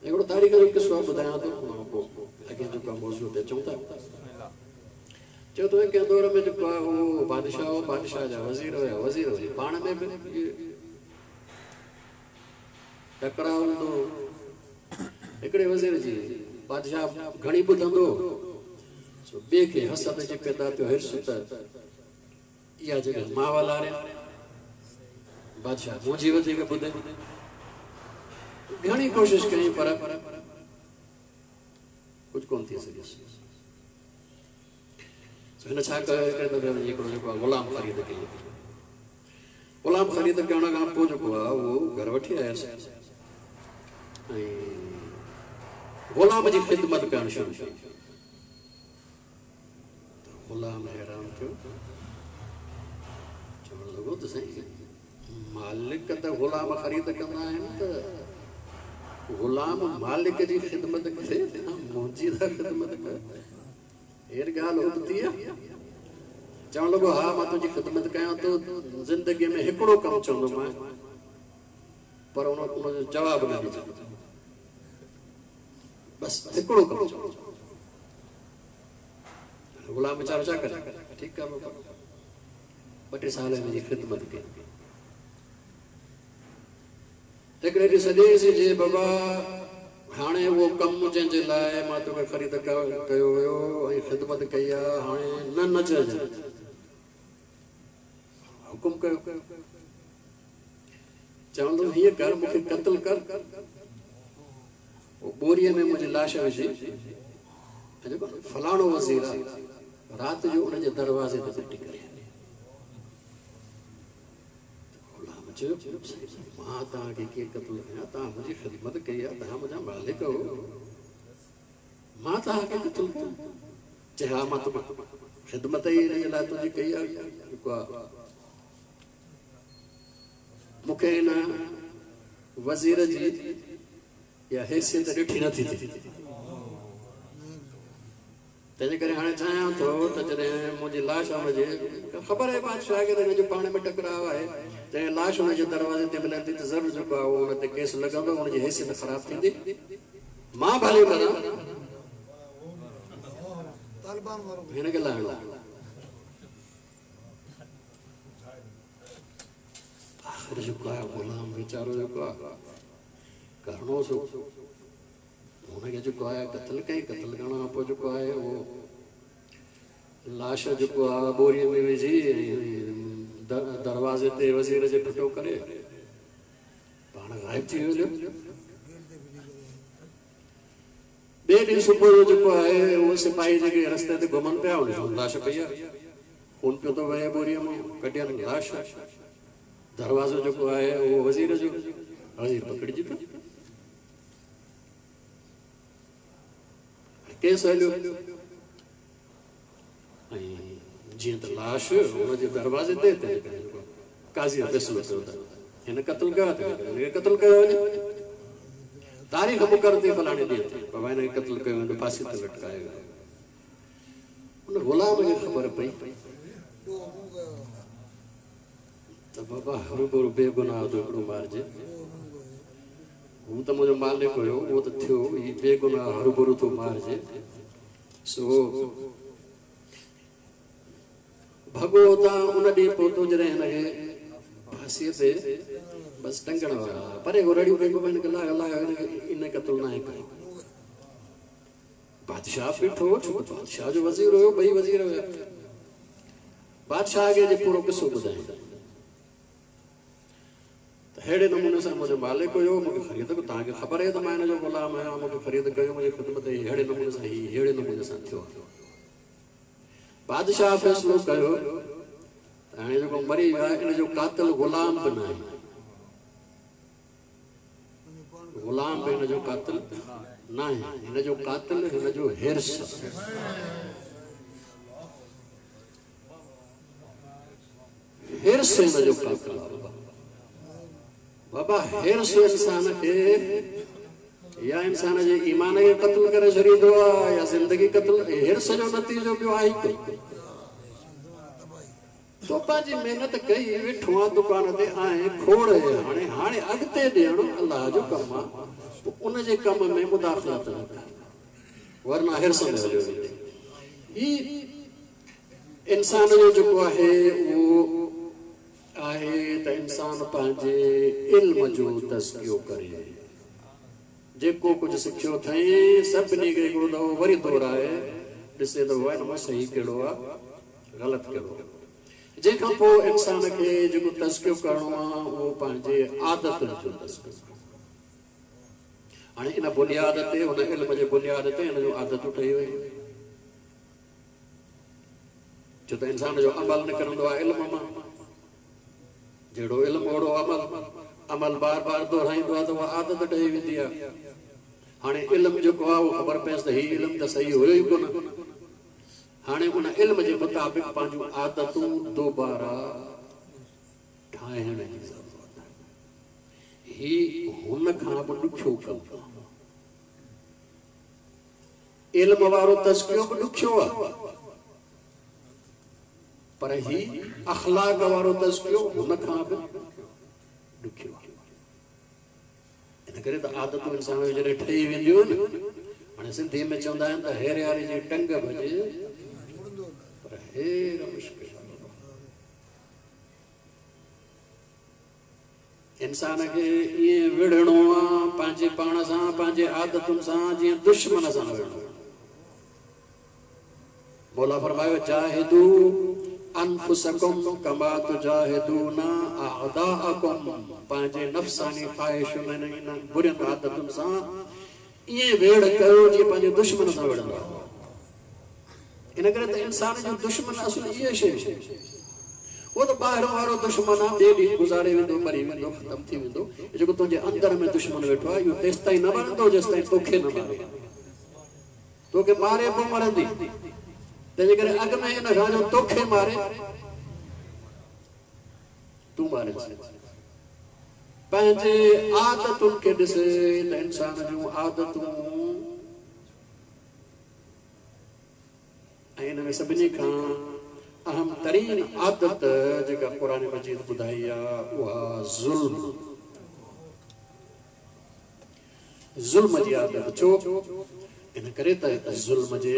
हिकिड़ो तारीख़ जो किसो ॿुधायां थो, पोइ अॻियां जेको आहे मौज़ू ते अचूं था। चयो थो कंहिं दौर में जेको आहे उहो बादशाह हो, बादशाह जा वज़ीर हुया, वज़ीर हुया पाण में बि टकराव हूंदो। हिकिड़े वज़ीर जी बादशाह घणी ॿुधंदो, सो ॿिए खे हसद जी पैदा थियो, हिर्स त इहा जॻह मां वालारिया, बादशाह मुंहिंजी वधीक ॿुधे। घणी कोशिश कई पर कुझु कोन थी सघियुसि। हिन छा कयो, हिकिड़े दफ़े वञी हिकिड़ो जेको आहे ग़ुलाम ख़रीद कई। ग़ुलाम ख़रीद करण खां पोइ जेको आहे उहो घर वठी आयुसि ऐं ग़ुलाम जी ख़िदमत करणु शुरू कई। त ग़ुलाम हैरान थियो, चवणु लॻो त साईं मालिक त ग़ुलाम ख़रीद कंदा आहिनि, त ग़ुलाम मालिक जी ख़िदमत करे, मुंहिंजी त ख़िदमत करे, हेर ॻाल्हि उबती आहे। चवणु लॻो हा मां तुंहिंजी ख़िदमत कयां थो, ज़िंदगीअ में हिकिड़ो कमु चवंदोमांइ, पर उन उनजो जवाबु न ॾिजांइ, बसि हिकिड़ो कमु चवंदो। ग़ुलाम वीचारो छा करे, ठीकु आहे बाबा, ॿ टे साल हिन जी ख़िदमत कई। हिकिड़े ॾींहुं सॼे जे बाबा हाणे उहो कमु जंहिंजे लाइ मां तोखे ख़रीद कयो हुयो ऐं ख़िदमत कई आहे, हाणे न न चइजांइ, हुकुम कयो। चवंदो हीअं कर, मूंखे क़तल कर, पोइ ॿोरीअ में मुंहिंजी लाश विझी, ऐं जेको फलाणो वज़ीर आहे राति जो उनजे दरवाज़े ते बेठी करे। चयो मां तव्हांखे कीअं क़तलु कयां, तव्हां मुंहिंजी ख़िदमत कई आहे, तव्हां मुंहिंजा मालिक हो, मां तव्हांखे क़तलु कयां? चए हा मां तोखे ख़िदमत ई हिन जे लाइ तुंहिंजी कई आहे, जेको आहे मूंखे हिन वज़ीर जी इहा हैसियत ॾिठी नथी थिए, तंहिंजे करे हाणे चाहियां थो त जॾहिं मुंहिंजी लाश हुनजे ख़बर आहे बादशाह खे त हिन जो पाण में टकराव आहे, जॾहिं लाश हुनजे दरवाज़े ते मिलंदी त ज़रूरु जेको आहे उहो हुन ते केस लॻंदो, हुनजी हैसियत ख़राबु थींदी, मां भले मरां हिन खे लाहिणो। आख़िर जेको आहे ग़ुलाम वीचारो जेको आहे करिणो सो हुनखे जेको आहे क़तलु कयईं। क़तलु करण खां पोइ जेको आहे उहो लाश जेको आहे ॿोरीअ में विझी दरवाज़े ते वज़ीर जे फिटो करे पाण ग़ाइब थी वियो। ॿिए ॾींहुं सुबुह जो जेको आहे उहो सिपाही जेके रस्ते ते घुमनि पिया, हुन लाश पई आहे, खून पियो थो वहे ॿोरीअ मां, कढियनि लाश, दरवाज़ो जेको आहे उहो वज़ीर जो, वज़ीर पकड़िजी पियो, केस हलियो। ऐं जीअं त लाश हुनजे दरवाज़े ते, तंहिंजे करे काज़ी फ़ैसिलो कयो त हिन क़तलु कयो आहे, तंहिंजे करे हिनखे क़तलु कयो वञे। तारीख़ मुक़ररु थी फलाणे ॾींहं ते, बाबा हिनखे क़तलु कयो वञे, फांसी ते लटकायो वियो। हुन ग़ुलाम खे ख़बर पई त बाबा हरूभरू बेगुनाह थो हिकिड़ो मारिजे, हू त मुंहिंजो मालिक हुयो, उहो त थियो, हीउ बेगुनाह हरूभरू थो मारिजे। सो भॻो हुतां उन ॾींहुं पहुतो जॾहिं हिनखे फांसीअ ते बसि टंगण वारा, परे रड़ियूं पई बाबा हिनखे लाहियो लाहियो, हिनखे इन क़तलु नाहे कयो। बादशाह बीठो, छो त बादशाह जो वज़ीर हुयो, ॿई वज़ीर हुया। बादशाह खे जे पूरो क़िसो ॿुधाई त अहिड़े नमूने सां मुंहिंजो मालिक हुयो, मूंखे ख़रीद कयो, तव्हांखे ख़बर आहे त मां हिन जो ग़ुलाम आहियां, मूंखे ख़रीद कयो, मुंहिंजी ख़िदमत अहिड़े नमूने सां हीअ अहिड़े नमूने सां थियो। बादशाह फ़ैसिलो कयो त हाणे जेको मरी वियो आहे इन जो क़ातिल ग़ुलाम बि न आहे, ग़ुलाम बि हिन जो क़ातिल न आहे, हिन जो क़ातिल हिन जो हिर्स। हिर्स हिन जो क़ातिल आहे बाबा। हिर्स इंसान खे या इंसान जे ईमान खे क़तलु करे छॾींदो आहे या ज़िंदगी क़तलु। हिर्स जो नतीजो ॿियो आहे ई कोई। तो पंहिंजी महिनत कई, वेठो आहे दुकान ते, आहे खोड़ हाणे हाणे अॻिते ॾियणु अलाह जो कमु आहे, पोइ उनजे कम में मुदाख़िलत न कर, वरना हिर्स में हलियो वेंदे। हीउ इंसान जो जेको आहे उहो आहे त इंसान पंहिंजे इल्म जो तज़कियो करे, जेको कुझु सिखियो अथई सभिनी खे हिकिड़ो दफ़ो वरी दोहराए ॾिसे त उहो हिन मां सही कहिड़ो आहे, ग़लति कहिड़ो आहे। जंहिंखां पोइ इंसान खे जेको तज़कियो करिणो आहे उहो पंहिंजे आदतुनि जो तज़कियो। हाणे इन बुनियाद ते, हुन इल्म जे बुनियाद ते हिन जूं आदतूं ठही वयूं, छो त इंसान जो अमल निकिरंदो आहे इल्म मां, जहिड़ो इल्म ओहिड़ो अमल, अमल बार बार दोहराईंदो आहे त उहा आदत ठही वेंदी आहे। हाणे इल्म जेको आहे उहो ख़बर पयसि त हीउ इल्म त सही हुयो ई कोन, हाणे उन इल्म जे मुताबिक़ पंहिंजूं आदतूं दोबारा ठाहिण जी ज़रूरत आहे। हीउ हुन खां बि ॾुखियो कमु आहे, इल्म वारो तज़कियो बि ॾुखियो आहे, पर हीउ अख़लाक़ वारो तज़कियो हुन खां बि ॾुखियो आहे। इन करे त आदतूं इंसान जूं जॾहिं ठही वेंदियूं आहिनि, हाणे सिंधी में चवंदा आहिनि त हेरियारी जी टंग भॼे पर हेर मुश्किल। इंसान खे ईअं विढ़णो आहे पंहिंजे पाण सां, पंहिंजे आदतुनि सां, जीअं दुश्मन सां विढ़णो। मौला फरमायो जाहिदू अनफुसकुम कमा तुजाहिदूना अअदाअकुम, पंहिंजे नफ़्सानी ख़्वाहिशुनि ऐं बुरियुनि आदतुनि सां ईअं वेड़ कयो जीअं पंहिंजे दुश्मन सां विढ़ंदा। इन करे त इंसान जो दुश्मन असुलु इहे शयूं, उहो त ॿाहिरि वारो दुश्मन आहे, ॿिए ॾींहुं गुज़ारे वेंदो, मरी वेंदो, ख़तमु थी वेंदो। जेको तुंहिंजे अंदरि में दुश्मन वेठो आहे, इहो तेसि ताईं न मरंदो जेसि ताईं तोखे न मारे। तोखे मारे पोइ मरंदी। तंहिंजे करे अॻु में इन खां जो तोखे मारे, तूं मारे। पंहिंजे आदतुनि खे ॾिस त इंसान जूं आदतूं, ऐं इन में सभिनी खां अहम तरीन आदत जेका क़ुरान मजीद ॿुधाई आहे उहा ज़ुल्म, ज़ुल्म जी आदत। छो? इन करे त ज़ुल्म जे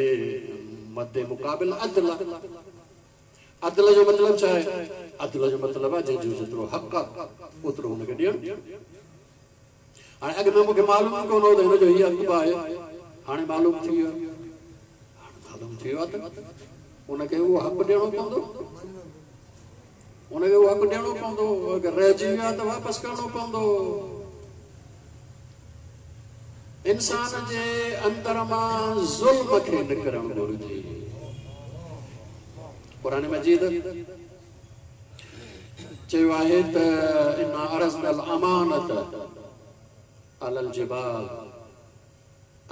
मद्दे मुक़ाबिल अदल। अदल जो मतिलबु छा आहे? अदल जो मतिलबु आहे जंहिंजो जेतिरो हक़ आहे ओतिरो हुनखे ॾियणु। हाणे अॻु में मूंखे मालूम कोन हो त हिन जो हीउ हक़ बि आहे, हाणे मालूम थी वियो। हाणे मालूम थी वियो आहे त उनखे उहो हक़ ॾियणो पवंदो, उनखे उहो हक़ ॾियणो पवंदो। अगरि रहिजी वियो आहे त वापसि करिणो पवंदो। इंसान जे अंदर मां ज़ुल्म खे निकिरणु घुरिजे। क़ुरान मजीद चयो आहे त इन्ना अरज़नल अमानत अलल जिबाल,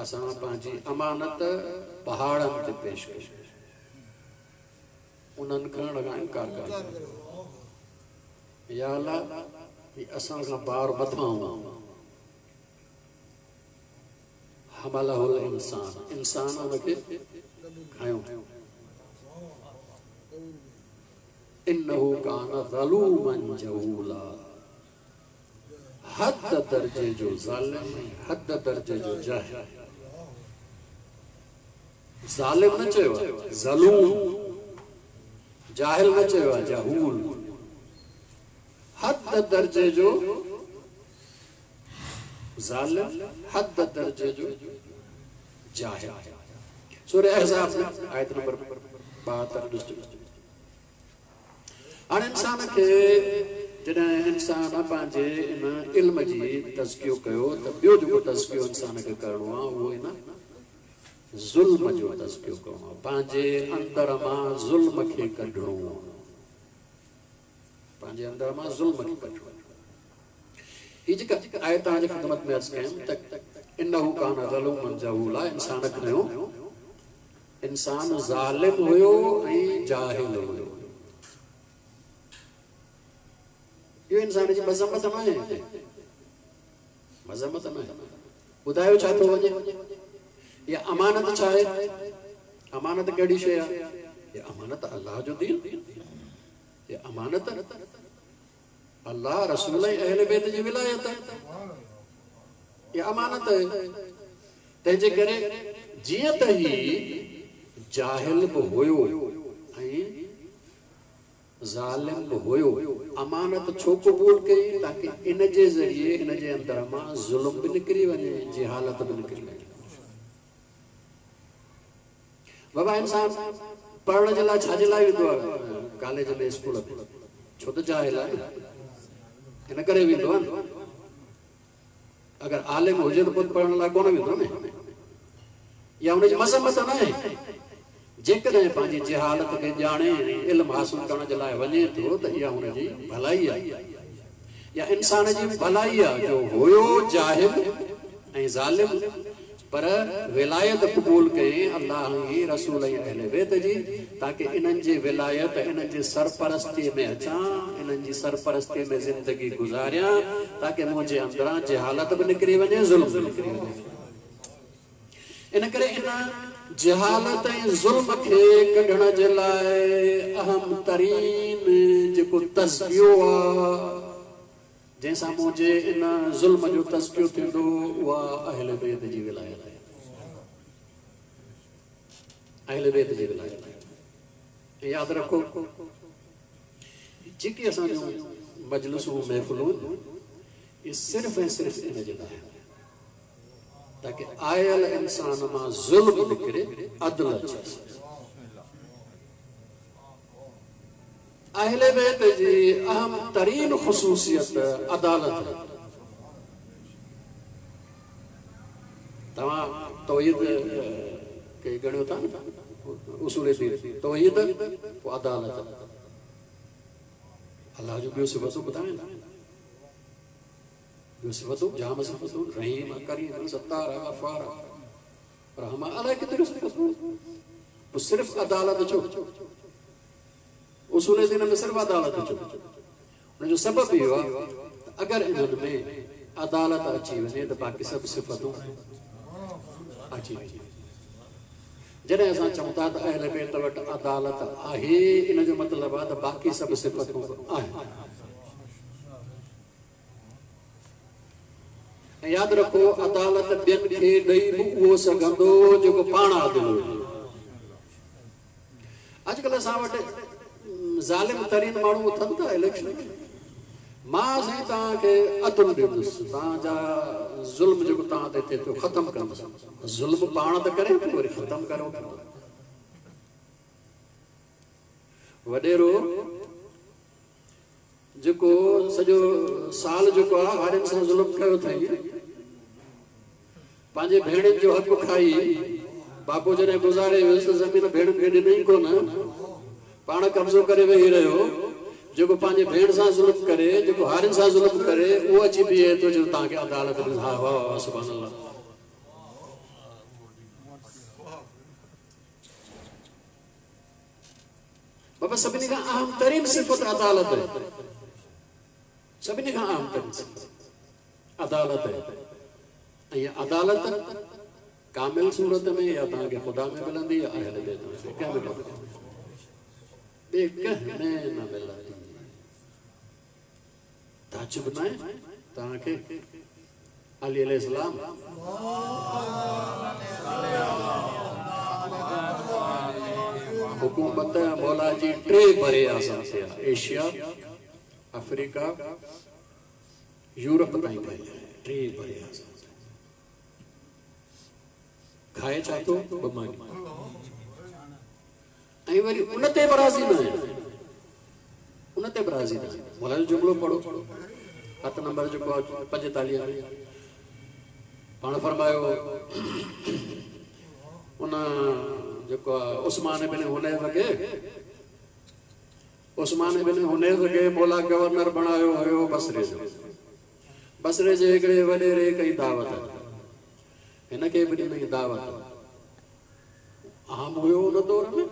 असां पंहिंजी अमानत पहाड़नि ते पेश कई, उन्हनि खणण खां इनकार कयो। या अल्लाह, हीअ असां खां बार मथां हमलहुल इंसान, इंसान उनखे खयो। इन्नहु कान ज़लूमन जहूला, हद दर्जे जो ज़ालिम, हद दर्जे जो जाहिल। ज़ालिम न चयो आहे, ज़लूम। जाहिल न चयो आहे, जहूल। हद दर्जे जो ज़ालिम, हद दर्जे जो जाहिल। सूरह अहज़ाब में आयत नंबर ॿाहतरि ॾिसजो। हाणे इंसान खे जॾहिं इंसान पंहिंजे इन इल्म जी तज़कियो कयो त ॿियो जेको तज़कियो इंसान खे करिणो आहे उहो इन ज़ुल्म जो तज़कियो करिणो आहे। पंहिंजे अंदरि मां ज़ुल्म खे कढिणो आहे, पंहिंजे अंदरि मां ज़ुल्म खे कढिणो आहे। हीअ जेका आयत तव्हांजी ख़िदमत में अर्ज़ु कयमि त इन्नहु कान ज़लूमन जहूला, इंसान खयो, इंसान ज़ालिम हुयो ऐं जाहिल हुयो। इहो इंसान जी मज़म्मत न आहे, मज़म्मत न आहे। ॿुधायो छा थो वञे? इहा अमानत छा आहे? अमानत कहिड़ी शइ आहे? इहा अमानत अल्लाह जो दीन, इहा अमानत अल्लाह रसूल ऐं अहल बैत जी विलायत, इहा अमानत आहे। तंहिंजे करे जीअं त ही जाहिल बि हुयो ऐं ज़ालिम बि हुयो, अमानत छो क़बूल कई? ताकी इन जे ज़रिए हिन जे अंदरि मां ज़ुल्म बि निकिरी वञे, जहालत बि निकिरी वञे। बाबा इंसान पढ़ण जे लाइ छा जे लाइ वेंदो आहे कॉलेज में, स्कूल में? छो त जाहिल आहे, इन करे वेंदो आहे न। अगरि आलिम हुजे त पोइ पढ़ण लाइ कोन वेंदो न। या हुनजी मज़म्मत न आहे। जेकॾहिं पंहिंजी जहालत खे ॼाणे इल्म हासिल करण जे लाइ वञे थो त इहा हुनजी भलाई आहे, या इंसान जी भलाई आहे जो हुयो जाहिल ऐं ज़ालिम, पर विलायत क़बूल कयईं अल्लाह ऐं रसूल ऐं अहल बैत जी, ताकी इन्हनि जी विलायत, इन्हनि जी सरपरस्तीअ में अचां, इन्हनि जी सरपरस्तीअ में ज़िंदगी गुज़ारियां, ताकी मुंहिंजे अंदरां जहालत बि निकिरी वञे, ज़ुल्म बि निकिरी वञे। इन करे इन जहालत ऐं ज़ुल्म खे कढण जे लाइ अहम तरीन जेको तज़कियो आहे, जंहिंसां मुंहिंजे इन ज़ुल्म जो तज़कियो थींदो, उहा अहल बैत जी विलायत आहे, अहल बैत जी विलायत आहे। यादि रखो, जेके असांजूं मजलिसूं महफ़िलूं इहे सिर्फ़ ऐं सिर्फ़ इन जे लाइ आहिनि ताकी आयल इंसान मां ज़ुल्म निकिरे, अदल अचे। अहले बैत जी अहम तरीन ख़ुसूसियत अदालत। तव्हां तौहीद खे ॻणियो था न, उसूल दीन, तौहीद पोइ अदालत। अलाह जो ॿियो सिफ़तूं ॿुधाए न, ॿियो सिफ़तूं जाम सिफ़तूं, रहीम करीम सत्तार गफ़ार रहमान, अलाए केतिरियूं सिफ़तूं। पोइ सिर्फ़ अदालत छो? उसूल दीन में सिर्फ़ अदालत छो? हुनजो सबबु इहो आहे त अगरि इन्हनि में अदालत अची वञे त बाक़ी सभु सिफ़तूं अची वञे। जॾहिं असां चऊं था त अहल बैत वटि अदालत आहे, इन जो मतिलबु आहे त बाक़ी सभु सिफ़तूं आहिनि। ऐं यादि रखो, अदालत ॿियनि खे ॾेई बि उहो सघंदो जेको पाण आदिल हुजे। अॼुकल्ह असां वटि ज़ालिम तरीन माण्हू उथनि था इलेक्शन में, मां साईं तव्हांखे अदुल ॾींदुसि, तव्हांजा ज़ुल्म जेको तव्हां ते थिए थो ख़तमु कंदुसि। ज़ुल्म पाण त करे पियो, वरी ख़तमु करो पियो। वॾेरो जेको सॼो साल जेको आहे हारियुनि सां ज़ुल्म कयो अथई, पंहिंजे भेणियुनि जो हक़ खाई, बापू जॾहिं गुज़ारे वियुसि त ज़मीन भेणियुनि खे ॾिनई कोन, पाण कब्ज़ो करे वेही रहियो। जेको पंहिंजे भेण सां ज़ुल्म करे, जेको हारियुनि सां ज़ुल्म करे, उहो अची बीहे थो जो तव्हांखे अदालत में। हा वाह वाह सुभान अल्लाह। बाबा सभिनी खां अहम तरीन सिफ़त अदालत आहे, सभिनी खां अहम तरीन सिफ़त अदालत आहे। ऐं अदालत कामिल सूरत में या तव्हांखे ख़ुदा में मिलंदी या अहल बैत में, कंहिं में ॿिए कंहिं में न मिलंदी। ताजुब न आहे तव्हांखे अली अलैहिस्सलाम हुकूमत मौला जी टे बरे आज़म ते आहे, एशिया, अफ्रीका, यूरोप ताईं फैलियल आहे, टे बरे आज़म। खाए छा थो? ॿ मानी। ऐं वरी उन ते बि राज़ी न आहियां, उन ते बि राज़ी न आहियां। मौला जो जुमिलो पढ़ो, हथ नंबर जेको आहे पंजेतालीह में, पाण फरमायो उन जेको आहे उस्मान बिन हुनैफ खे, उस्मान बिन हुनैफ खे मौला गवर्नर बणायो हुयो बसरे जो। बसरे जे हिकिड़े वॾेरे कई दावत, हिन खे बि ॾिनई दावत। आम हुयो उन दौर में,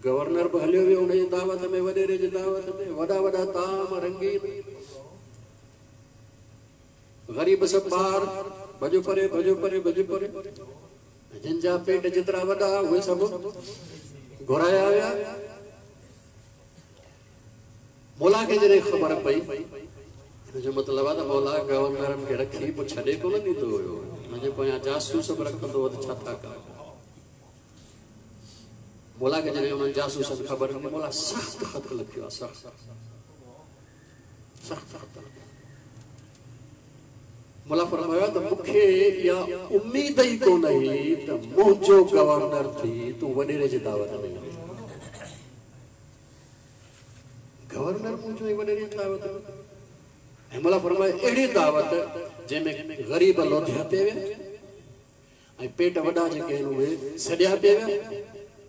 गवर्नर बि हलियो वियो हुनजी दावत में, वॾेरे जी दावत में। वॾा वॾा ताम रंगीन, ग़रीब सभु ॿार, भॼो परे भॼो परे भॼो परे। जिन जा पेट जेतिरा वॾा उहे सभु घुराया विया। मौला खे जॾहिं ख़बर पई, हिन जो मतिलबु आहे त मौला गवर्नरनि खे रखी पोइ छॾे कोन ॾींदो हुयो, हुनजे पोयां जासूस बि रखंदो हो त छा था कनि। मौला खे जॾहिं उन्हनि जासूसनि ख़बर ॾिनी, मौला सख़्तु ख़त लिखियो आहे, सख़्तु सख़्तु ख़त। मौला फरमायो त मूंखे इहा उमेद ई कोन हुई त मुंहिंजो गवर्नर थी तूं वॾेरे जी दावत में वञे। गवर्नर मुंहिंजो ई वॾेरे जी दावत में। ऐं मौला फरमायो अहिड़ी दावत जंहिंमें ग़रीब लोधिया पिया विया ऐं पेट वॾा जेके आहिनि उहे सॾिया पिया विया,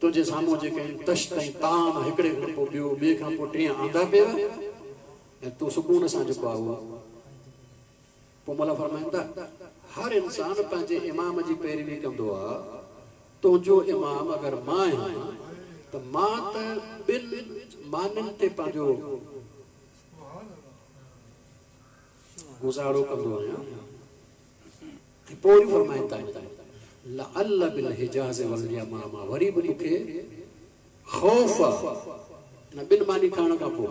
तुंहिंजे साम्हूं जेके आहिनि तश्त ऐं ताम हिकिड़े खां पोइ ॿियो, ॿिए खां पोइ टियां आंदा पिया विया, ऐं तूं सुकून सां जेको आहे उहो। पोइ मौला फरमाइनि था हर इंसान पंहिंजे इमाम जी पैरवी कंदो आहे, तुंहिंजो इमाम अगरि मां आहियां त मां त ॿिनि मानियुनि ते पंहिंजो गुज़ारो कंदो आहियां। ऐं पोइ वरी फरमाइनि था लअल्ल बिल हिजाज़ वल यमामा, वरी बि मूंखे ख़ौफ़ आहे न ॿिनि मानी खाइण खां पोइ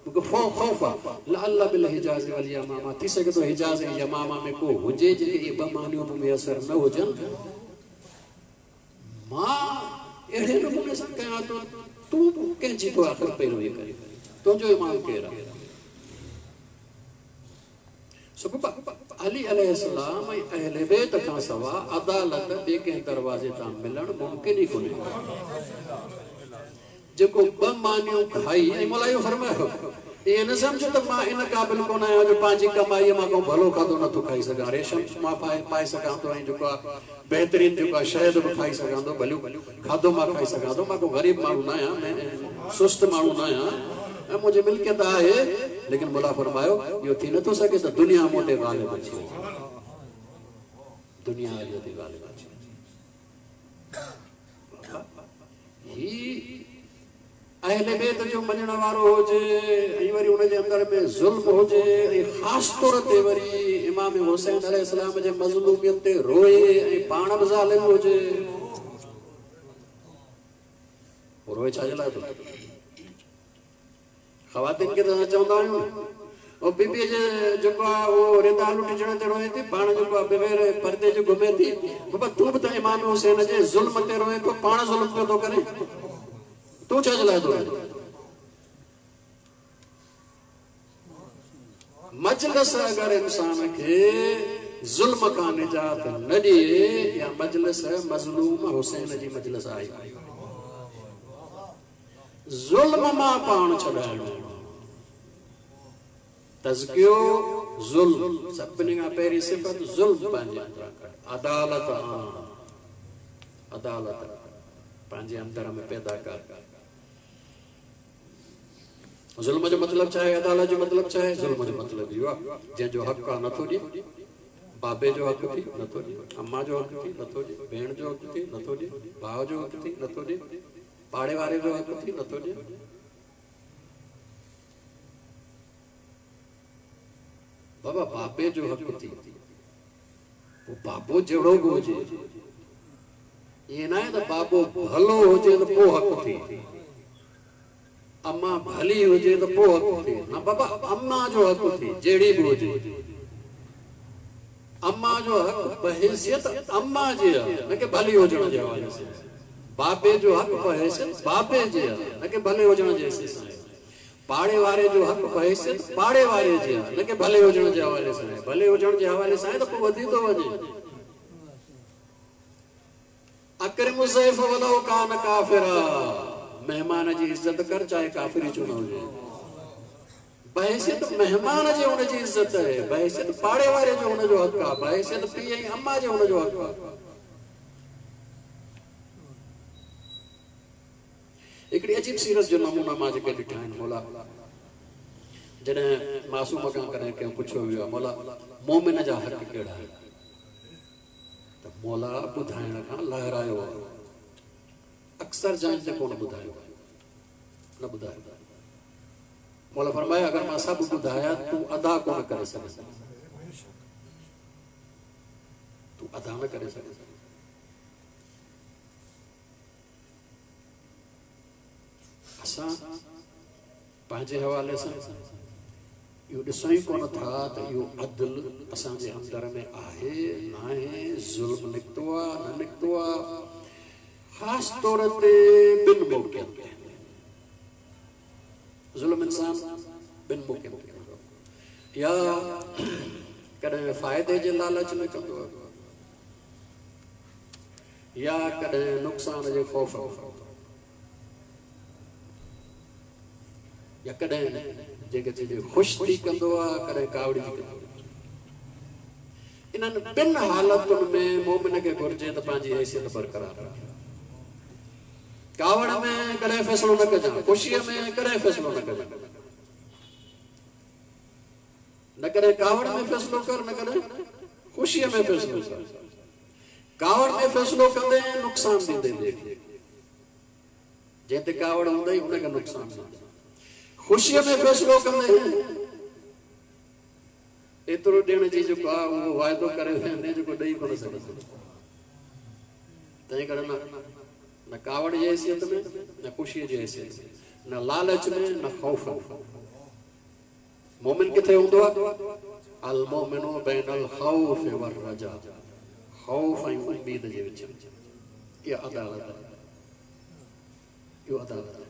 मूंखे ख़ौफ़ आहे, लअल्ल बिल हिजाज़ वल यमामा, थी सघे थो हिजाज़ ऐं यमामा में को हुजे जेके इहे ॿ मानियूं बि मुयसर न हुजनि, मां अहिड़े नमूने सां कयां थो, तूं कंहिंजी थो आख़िर पैरवी करे, तुंहिंजो इमाम केरु आहे? अली अलैहिस्सलाम ऐं अहले बैत खां सवाइ अदालत ॿिए कंहिं दरवाज़े तां मिलणु मुमकिन ई कोन्हे। जेको ॿ मानियूं खाई, ऐं मौला इहो फरमायो ईअं न सम्झो त मां इन क़ाबिल कोन आहियां जो पंहिंजी कमाईअ मां को भलो खाधो नथो खाई सघां, रेशम मां पाए पाए सघां थो ऐं जेको आहे बहितरीन जेको आहे शहद बि खाई सघां थो, भलियो खाधो मां खाई सघां थो, मां को ग़रीब माण्हू न आहियां, सुस्त माण्हू न आहियां ऐं मुंहिंजी मिल्कियत आहे, लेकिन मौला फरमायो इहो थी नथो सघे त दुनिया मूं ते ग़ालिब अची वञे, दुनिया अलीअ ते ग़ालिब अची वञे। ही अहले बैत जो मञण वारो हुजे ऐं वरी उनजे अंदरि में ज़ुल्म हुजे ऐं ख़ासि तौर ते वरी इमाम हुसैन अलैहिस्सलाम जे मज़लूमियत ते रोए ऐं पाण बि ज़ालिम हुजे, रोए छा जे लाइ थो? ख़वातीन खे त असां चवंदा आहियूं न, बीबीअ जे जेको आहे उहो रिदा लुटिजण ते रोए थी, पाण जेको आहे बग़ैर परदे जे घुमे थी। बाबा तूं बि त इमाम हुसैन जे ज़ुल्म ते रोए थो, पाण ज़ुल्म पियो थो करे, तूं छा जे लाइ थो रोए? मजलिस अगरि इंसान खे ज़ुल्म खां निजात न ॾिए, या मजलिस मज़लूम हुसैन जी मजलिस आहे। ज़ुल्म मां पाण छॾाइणो, तज़कियो ज़ुल्म, सभिनी खां पहिरीं सिफ़त ज़ुल्म पंहिंजे अंदरि कढ, अदालत आण, अदालत पंहिंजे अंदरि में पैदा कर। ज़ुल्म जो मतिलबु छा आहे? अदालत जो मतिलबु छा आहे? ज़ुल्म जो मतिलबु इहो आहे जंहिंजो हक़ु आहे नथो ॾिए, बाबे जो हक़ु थी नथो ॾिए, अम्मा जो हक़ु थी नथो ॾिए, भेण जो हक़ु थी नथो ॾिए, भाउ जो हक़ु थी नथो ॾिए, पाड़े वारे जो हक़ु थी नथो ॾिए। बाबा बाबे जो हक़ु थी, पोइ बाबो जहिड़ो बि हुजे, ईअं न आहे त बाबो भलो हुजे त पोइ हक़ु थी, अम्मा भली हुजे त पोइ हक़ु थी। न बाबा, अम्मा जो हक़ु थी जहिड़ी बि हुजे, अम्मा जो हक़ु बहैसियत अम्मा जे आहे, न की भली हुजण जे हवाले सां। बाबे जो हक़ु बहैसियत बाबे जे आहे, न की भले हुजण जे हैसियत सां। पाड़े वारे जो हक़ु बहैसियत पाड़े वारे जे आहे, न की भले हुजण जे हवाले सां। भले हुजण जे हवाले सां त पोइ वधी थो वञे। अकरिम ज़ैफ़ वलौ कान काफ़िरा, मेहमान जी इज़त कर चाहे काफ़िर ई छो न हुजे। बहैसियत मेहमान जे हुनजी इज़त आहे, बहैसियत पाड़े वारे जो हुनजो हक़ु आहे, बहैसियत पीउ ऐं अम्मा जे हुनजो हक़ु आहे। हिकिड़ी अजीब सीरत जो नमूना मां जेके ॾिठा आहिनि मौला, जॾहिं मासूम खां कॾहिं कंहिं पुछियो वियो आहे, मौला मोमिन जा हक़ कहिड़ा आहिनि? त मौला ॿुधाइण खां लहरायो आहे, अक्सर जाइनि ते कोन ॿुधायो, न ॿुधायो। मौला फरमायो अगरि मां सभु ॿुधाया तूं अदा कोन करे सघंदो, तूं अदा न करे सघंदो। असां पंहिंजे हवाले सां इहो ॾिसूं ई कोन था त इहो अदल असांजे अंदरि में आहे न आहे, ज़ुल्म निकितो आहे न निकितो आहे। ख़ासि तौर ते ॿिनि मौक़नि ते ज़ुल्म इंसान ॿिनि मौक़नि ते कंदो आहे, या कॾहिं फ़ाइदे जे लालच में कंदो आहे, या कॾहिं नुक़सान जे ख़ौफ़ में कंदो आहे, या कॾहिं जेके चइजे ख़ुशि थी कंदो आहे, कॾहिं कावड़िजी कंदो आहे। इन्हनि ॿिनि हालतुनि में मोमिन खे घुरिजे त पंहिंजी हैसियत बरक़रार रखे। कावड़ में कॾहिं फ़ैसिलो न कजांइ, ख़ुशीअ में कॾहिं फ़ैसिलो न कजांइ, न कॾहिं कावड़ में फ़ैसिलो कर, न कॾहिं ख़ुशीअ में फ़ैसिलो कर। कावड़ में फ़ैसिलो कंदे नुक़सानु ॾींदे ॿिए खे, जंहिं ते कावड़ हूंदई हुनखे नुक़सानु ॾींदे। ख़ुशीअ में फ़ैसिलो कंदे एतिरो ॾियण जी जेको आहे उहो वाइदो करे वेंदे जेको ॾेई कोन सघंदो। तंहिं करे न न कावड़ जी हैसियत में, न ख़ुशीअ जी हैसियत में, न लालच में, न ख़ौफ़ में। मोमिन किथे हूंदो आहे? अल मोमिनु बैनल ख़ौफ़ वर रजा, ख़ौफ़ ऐं उम्मीद जे विच में। इहा अदालत आहे, इहो अदालत आहे।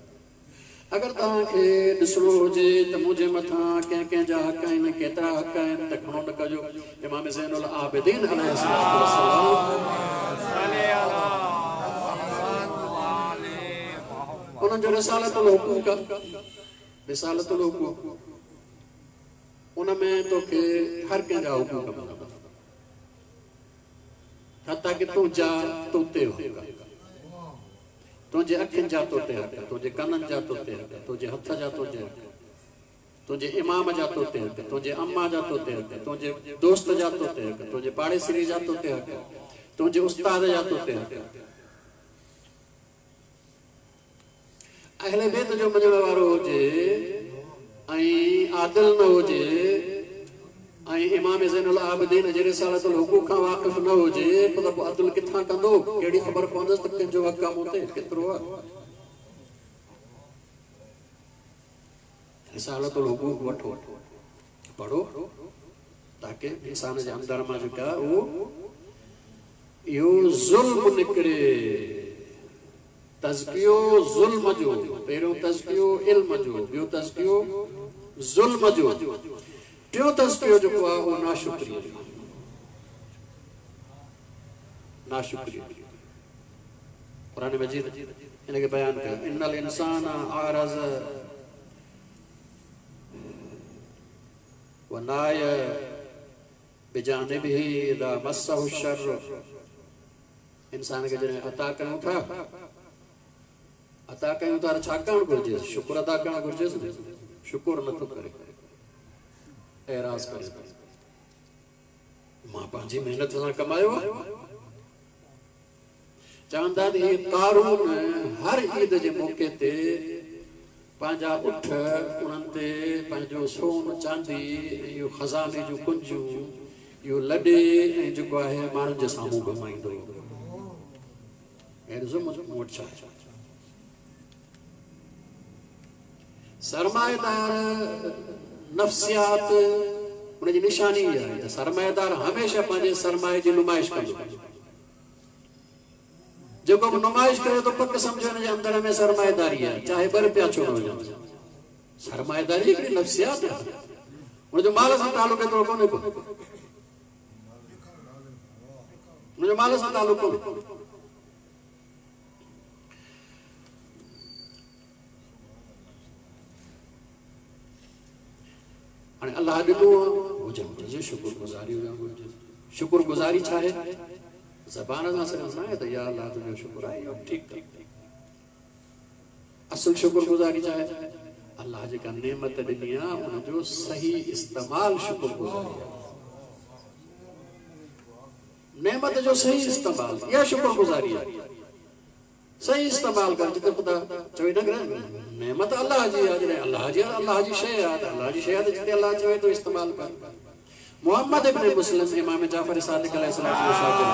अगरि तव्हांखे ॾिसणो हुजे त मुंहिंजे मथां कंहिं कंहिंजा हक़ आहिनि, केतिरा हक़ आहिनि, त घणो न कजो। इमाम ज़ैनुल आबिदीन अलैहिस्सलाम उन्हनि जो रिसालतुल हुकूक आहे, रिसालतुल हुकूक, उन में तोखे हर कंहिंजा हुकूक मिलंदा, हता कि तुंहिंजा तो ते हुकूक, तुंहिंजे अखियुनि जा तो ते हक़, तुंहिंजे कननि जा तो ते हक़, तुंहिंजे हथ जा तो ते हक़, तुंहिंजे इमाम जा तो ते हक़, तुंहिंजे अम्मा जा तो ते हक़, तुंहिंजे दोस्त जा तो ते हक़, तुंहिंजे पाड़ेसरी जा तो ते हक़, तुंहिंजे उस्ताद जा तो ते हक़। अहले बैत जो मञण वारो हुजे ऐं आदिल न हुजे ऐं इमाम ज़ैनुल आबिदीन जे रिसालतुल हुकूक खां वाक़िफ़ न हुजे, पोइ त पोइ अदुल किथां कंदो? कहिड़ी ख़बर पवंदसि त कंहिंजो हक़ आहे मूं ते, केतिरो आहे? रिसालतुल हुकूक वठो, पढ़ो, ताकि इंसान जे अंदर मां जेका उहो इहो ज़ुल्म निकिरे। तज़कियो ज़ुल्म जो, पहिरियों तज़कियो इल्म जो, ॿियो तज़कियो ज़ुल्म जो, टियों तज़कियो जेको आहे उहो नाशुक्री जो। नाशुक्री क़ुरान मजीद हिनखे बयानु कयो, इन्नल इंसान आरज़ व नाय बिजानिबिही इज़ा मस्सहु शर्र। इंसान खे जॾहिं अता कयूं था, अता कयूं था छा करणु घुरिजे? शुक्र अदा करणु घुरिजे। शुक्र नथो करे, एराज़ करे, मां पंहिंजी महिनत सां कमायो आहे। चवंदा त हीअ कारून हर ईद जे मौक़े ते पंहिंजा उठ उन्हनि ते पंहिंजो सोन चांदी ऐं इहो ख़ज़ाने जूं कुंजियूं इहो लॾे ऐं जेको आहे माण्हुनि जे साम्हूं घुमाईंदो। ऐं ॾिसो मुंहिंजो मूं वटि छा आहे। सरमाएदार नफ़्सियात उनजी निशानी इहा आहे त सरमाएदार हमेशह पंहिंजे सरमाए जी नुमाइश कंदो। जेको बि नुमाइश करे थो पक सम्झो हिन जे अंदर में सरमाएदारी आहे, चाहे ॿ रुपया छो न हुजनि। सरमाएदारी हिकिड़ी नफ़्सियात आहे, हुनजो माल सां तालुक़ एतिरो कोन्हे को, हुनजो माल सां तालुक़ कोन्हे। हाणे अलाह ॾिनो हुजणु घुरिजे, शुक्रगुज़ारी हुजणु घुरिजे। शुक्रगुज़ारी छा आहे? ज़बान सां सिर्फ़ न आहे त या अलाह तुंहिंजो शुक्र आहे, इहो ठीकु आहे। असुल शुक्रगुज़ारी छा आहे? अलाह जेका नेमत ॾिनी आहे उनजो सही इस्तेमालु शुक्रगुज़ारी आहे। नेमत जो सही इस्तेमालु इहा शुक्रगुज़ारी आहे। सही इस्तेमालु कर, जिते ख़ुदा चवे न नेमत अलाह जी आहे, जॾहिं अलाह जी आहे, अलाह जी शइ आहे त अलाह जी शइ आहे त जिते अलाह चवे थो इस्तेमालु कर। मोहम्मद इब्न मुस्लिम इमाम जाफ़र सादिक़ अलैहिस्सलाम जो शागिर्द,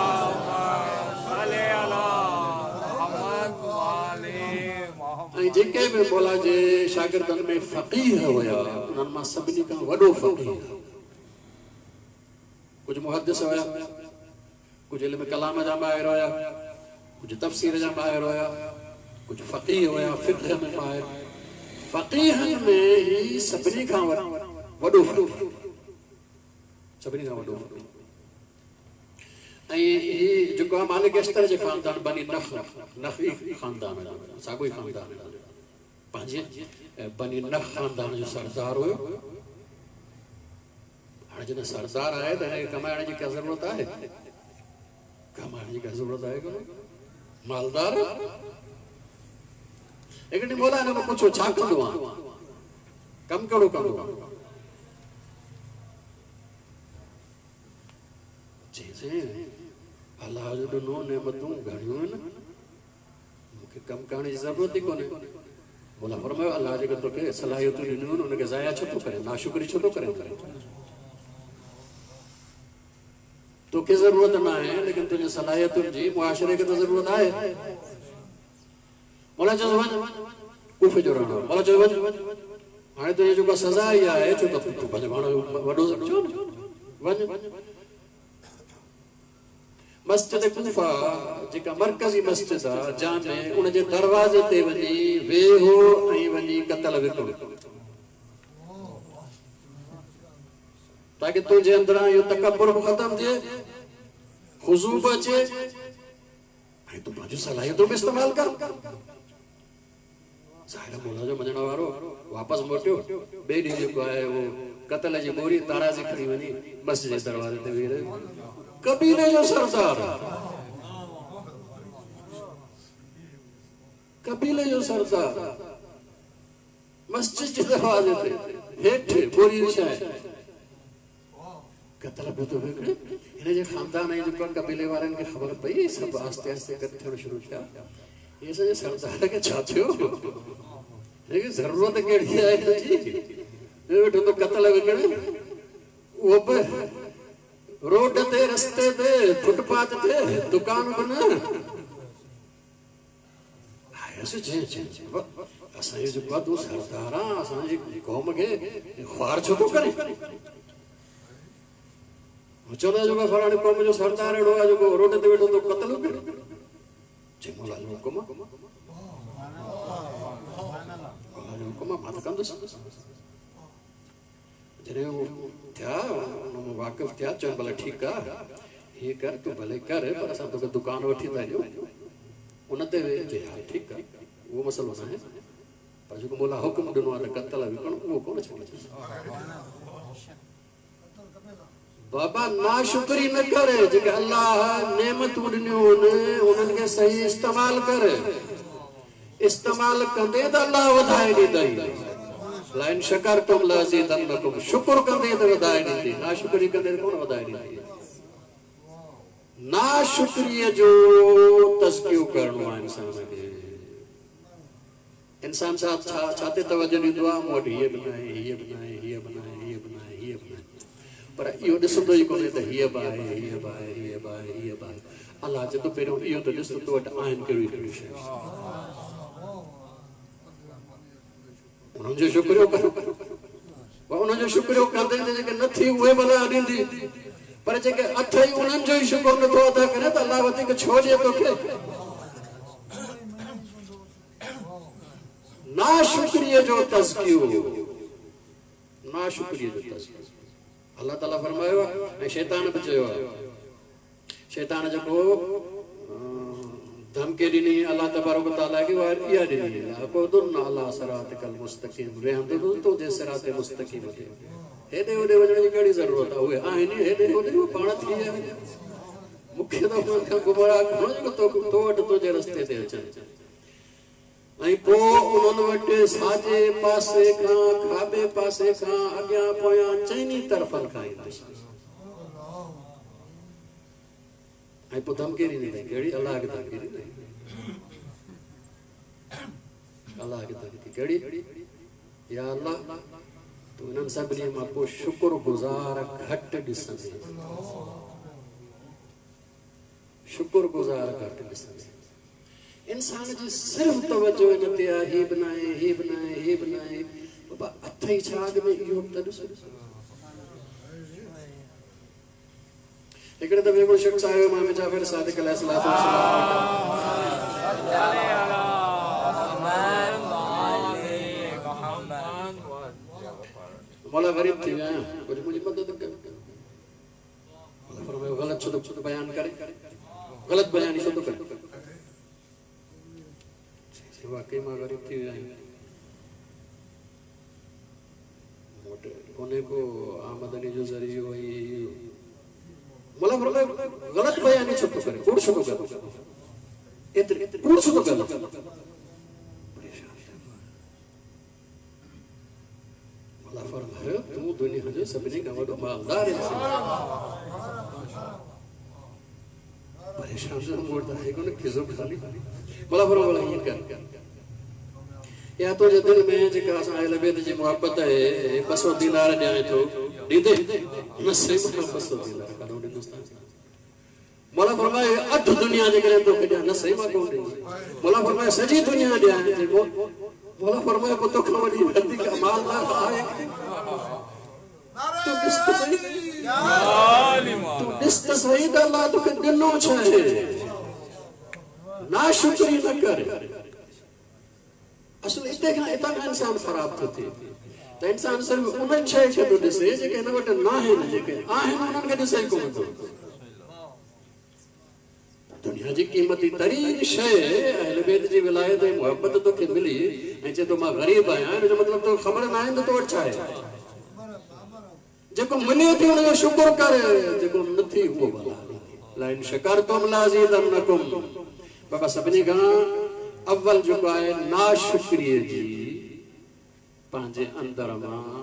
ऐं जेके बि मौला जे शागिर्दनि में फ़क़ीह हुया उन्हनि मां सभिनी खां वॾो फ़क़ीह। कुझु मुहद्दिस हुया, कुझु इल्म कलाम जा माहिर हुया, कुझु तफ़सीर जा माहिर हुया, कुझु फ़क़ीह हुया, फ़िक़्ह में माहिर। फ़क़ीहनि में ई सभिनी खां वॾो फ़क़ीह, सभिनी खां वॾो फ़क़ीह। ऐं हीउ जेको आहे मालिक अश्तर जे ख़ानदान बनी नख, नखी ख़ानदान जो, साॻियो ई ख़ानदान पंहिंजे बनी नख ख़ानदान जो सरदार हुयो। हाणे जॾहिं सरदार आहे त हिनखे कमाइण जी का ज़रूरत आहे? कमाइण जी का ज़रूरत आहे कोन? मालदार। हिकु ॾींहुं मौला हिन खां पुछियो, छा कंदो आहीं? कमु कहिड़ो कंदो आहीं? चईंसि, अलाह जो ॾिनो नेमतूं घणियूं आहिनि, मूंखे कमु करण जी ज़रूरत ई कोन्हे। मौला फरमायो, अलाह जेके तोखे सलाहियतूं ॾिनियूं आहिनि उनखे ज़ाया छो थो करे, नाशुक्री छो थो करे? तोखे ज़रूरत न आहे, लेकिन तुंहिंजे सलाहियतुनि जी मुआशरे खे त ज़रूरत आहे। मौला चयो वञ, कूफे जो रहणो। मौला चयो वञ, हाणे तुंहिंजी जेका सज़ा इहा आहे, छो त तूं पंहिंजो पाण वॾो सम्झो न, वञ। मस्जिद कूफा जेका मरकज़ी मस्जिद आहे जामे, उनजे दरवाज़े ते वञी वेहो ऐं वञी कतल विकिणो, ताकि तुंहिंजे अंदरां इहो तकब्बुर बि ख़तमु थिए, खुज़ू बि अचे ऐं तूं पंहिंजूं सलाहियतूं बि इस्तेमालु कर। ज़ाहिर मौला जो मञण वारो वापसि मोटियो, ॿिए ॾींहुं जेको आहे उहो कतल जी बोरी ताराज़ी खणी वञी मस्जिद जे दरवाज़े ते वेही रहियो। कबीले जो सरदार। क़बीले जो सरदार मस्जिद जे दरवाज़े ते हेठि बोरी विछाए कतल पियो थो विकिणे। हिन जे ख़ानदान ऐं जेको क़बीले वारनि खे ख़बर पई, सभु आहिस्ते आहिस्ते गॾु थियणु शुरू थिया। इहे असांजे सरदार खे छा थियो, हिनखे ज़रूरत कहिड़ी आहे हिन जी? वेठो थो कतल विकिणे, उहो बि रोड ते, रस्ते ते, फुटपाथ ते, दुकान बि न। आयसि चई असांजो जेको आहे तूं सरदार आहे, असांजी क़ौम खे ख़्वार छो थो करे? चवंदा जेको फलाणे क़ौम जो सरदार अहिड़ो आहे जेको रोड ते वेठो थो कतल करे। चई मौला जो हुकुम आहे, मौला जो हुकुम आहे, मां त कंदुसि। जॾहिं उहो थिया, हुन वाक़िफ़ थिया, चवनि भला ठीकु आहे, हीअं कर तूं भले कर, पर असां तोखे दुकान वठी था ॾियूं, उन ते वेह। चई हा ठीकु आहे, उहो मसइलो न आहे, पर जेको मौला हुकुम ॾिनो आहे त कतल विकणो, उहो कोन छॾींदुसि। बाबा नाशुक्री न करे, जेके अल्लाह नेमतूं ॾिनियूं आहिनि उन्हनि खे सही इस्तेमालु कर। इस्तेमालु कंदे त अल्लाह वधाए ॾींदई। लाइन शकरतुम लअज़ीदन्नकुम, शुक्र कंदे त वधाए ॾींदी, नाशुक्री कंदे त कोन वधाए ॾींदी। नाशुक्रीअ जो तज़कियो करिणो आहे इंसान खे। इंसान सां छा छा ते तवजो ॾींदो आहे? मूं वटि हीअ बि न आहे, हीअ बि न आहे, हीअ बि न आहे, हीअ बि न आहे, हीअ बि न आहे, पर इहो ॾिसंदो ई कोन्हे त हीअ बि आहे, हीअ बि आहे, हीअ बि आहे, हीअ बि आहे। अलाह चए थो पहिरियों इहो त ॾिस त तो वटि आहिनि कहिड़ियूं कहिड़ियूं शयूं, उन्हनि जो शुक्रियो कर। उन्हनि जो शुक्रियो कंदे त जेके न थी उहे भला ॾींदी, पर जेके अथई उन्हनि जो ई शुक्र नथो अदा करे त अलाह वधीक छो ॾिए तोखे? नाशुक्रीअ जो तज़कियो, नाशुक्रीअ जो तज़कियो। अल्लाह ताला फरमायो ऐं शैतान बि चयो आहे, शैतान जेको धमकी ॾिनी अल्लाह तबारक ताला खे, उहा इहा ॾिनी, लअक़उदन्न अला सिरातिकल मुस्तक़ीम, वेहंदुसि तुंहिंजे सिरात मुस्तक़ीम ते। हेॾे होॾे वञण जी कहिड़ी ज़रूरत आहे? उहे आहिनि हेॾे होॾे, उहे पाण थी विया आहिनि। मूंखे त उन्हनि खां गुमराह करिणो जेको तो वटि तुंहिंजे रस्ते ते अचनि। ऐं पोइ उन्हनि वटि साॼे पासे खां, खाॿे पासे खां, अॻियां पोयां चइनी तरफ़नि खां ईंदुसि। ऐं पोइ धमकी ॾींदी अथई। कहिड़ी? अल्लाह खे धमकी ॾींदी। अल्लाह खे धमकी कहिड़ी? या अल्लाह, तूं इन्हनि सभिनी मां पोइ शुक्र गुज़ार घटि ॾिसंदे, शुक्र गुज़ार घटि ॾिसंदे। इंसान जी सिर्फ़ तवजो इन ते आहे, हीअ बि न आहे, हीअ बि न आहे, हीअ बि न आहे। बाबा अथई छा अॻु में? इहो बि त ॾिसो। हिकिड़े दफ़े हिकिड़ो शख़्स आयो इमाम जाफ़र सादिक़ अलैहिस्सलाम मौला ग़रीब थी वियो आहियां, कुझु मुंहिंजी मदद कयो। मौला फरमायो ग़लति छो थो बयानु करे, ग़लति बयानी छो थो करे? वाकई मां ग़रीब थी वियो आहियां, मूं वटि कोन्हे को आमदनी जो ज़रियो। ऐं मौला फरमायो ग़लति बयानी छो थो करे, कूड़ छो थो करे, एतिरी कूड़ छो थो करे? मौला फरमायो तूं दुनिया जो सभिनी खां वॾो मालदार इंसान। परेशान थियो, मूं वटि त आहे कोन खिसो ख़ाली। मौला फरमायो भला ईअं कर, या तुंहिंजे दिलि में जेका असां अहल बैत जी मुहबत आहे, ॿ सौ दीनार ॾियां थो, ॾींदे? न सही, मां ॿ सौ दीनार काॾो ॾींदुसि? मौला फरमायो अधु दुनिया जेकॾहिं तोखे ॾियां, न सही मां कोन ॾींदुसि। मौला फरमायो सॼी दुनिया ॾियां। मौला फरमायो पोइ तोखां वॾी वधीक मालदार आहे? तूं ॾिस त सही, तूं ॾिस त सही त अल्लाह तोखे ॾिनो छा आहे। नाशुक्री न कर। असुलु हिते खां हितां खां इंसान ख़राबु थो थिए त इंसान सिर्फ़ उन्हनि शइ खे थो ॾिसे जेके हिन वटि न आहिनि, जेके आहिनि उन्हनि खे ॾिसे ई कोन थो। दुनिया जी क़ीमती तरीन शइ अहल बैत जी विलायत ऐं मुहबत तोखे मिली ऐं चए थो मां ग़रीब आहियां, हिन जो मतिलबु तोखे ख़बर न आहे त तो वटि छा आहे। जेको मिले थी हुनजो शुक्र कर, जेको न थी उहो भला। लाइन शकरतुम लअज़ीदन्नकुम। बाबा सभिनी खां अव्वल जेको आहे नाशुक्रीअ जी पंहिंजे अंदरि मां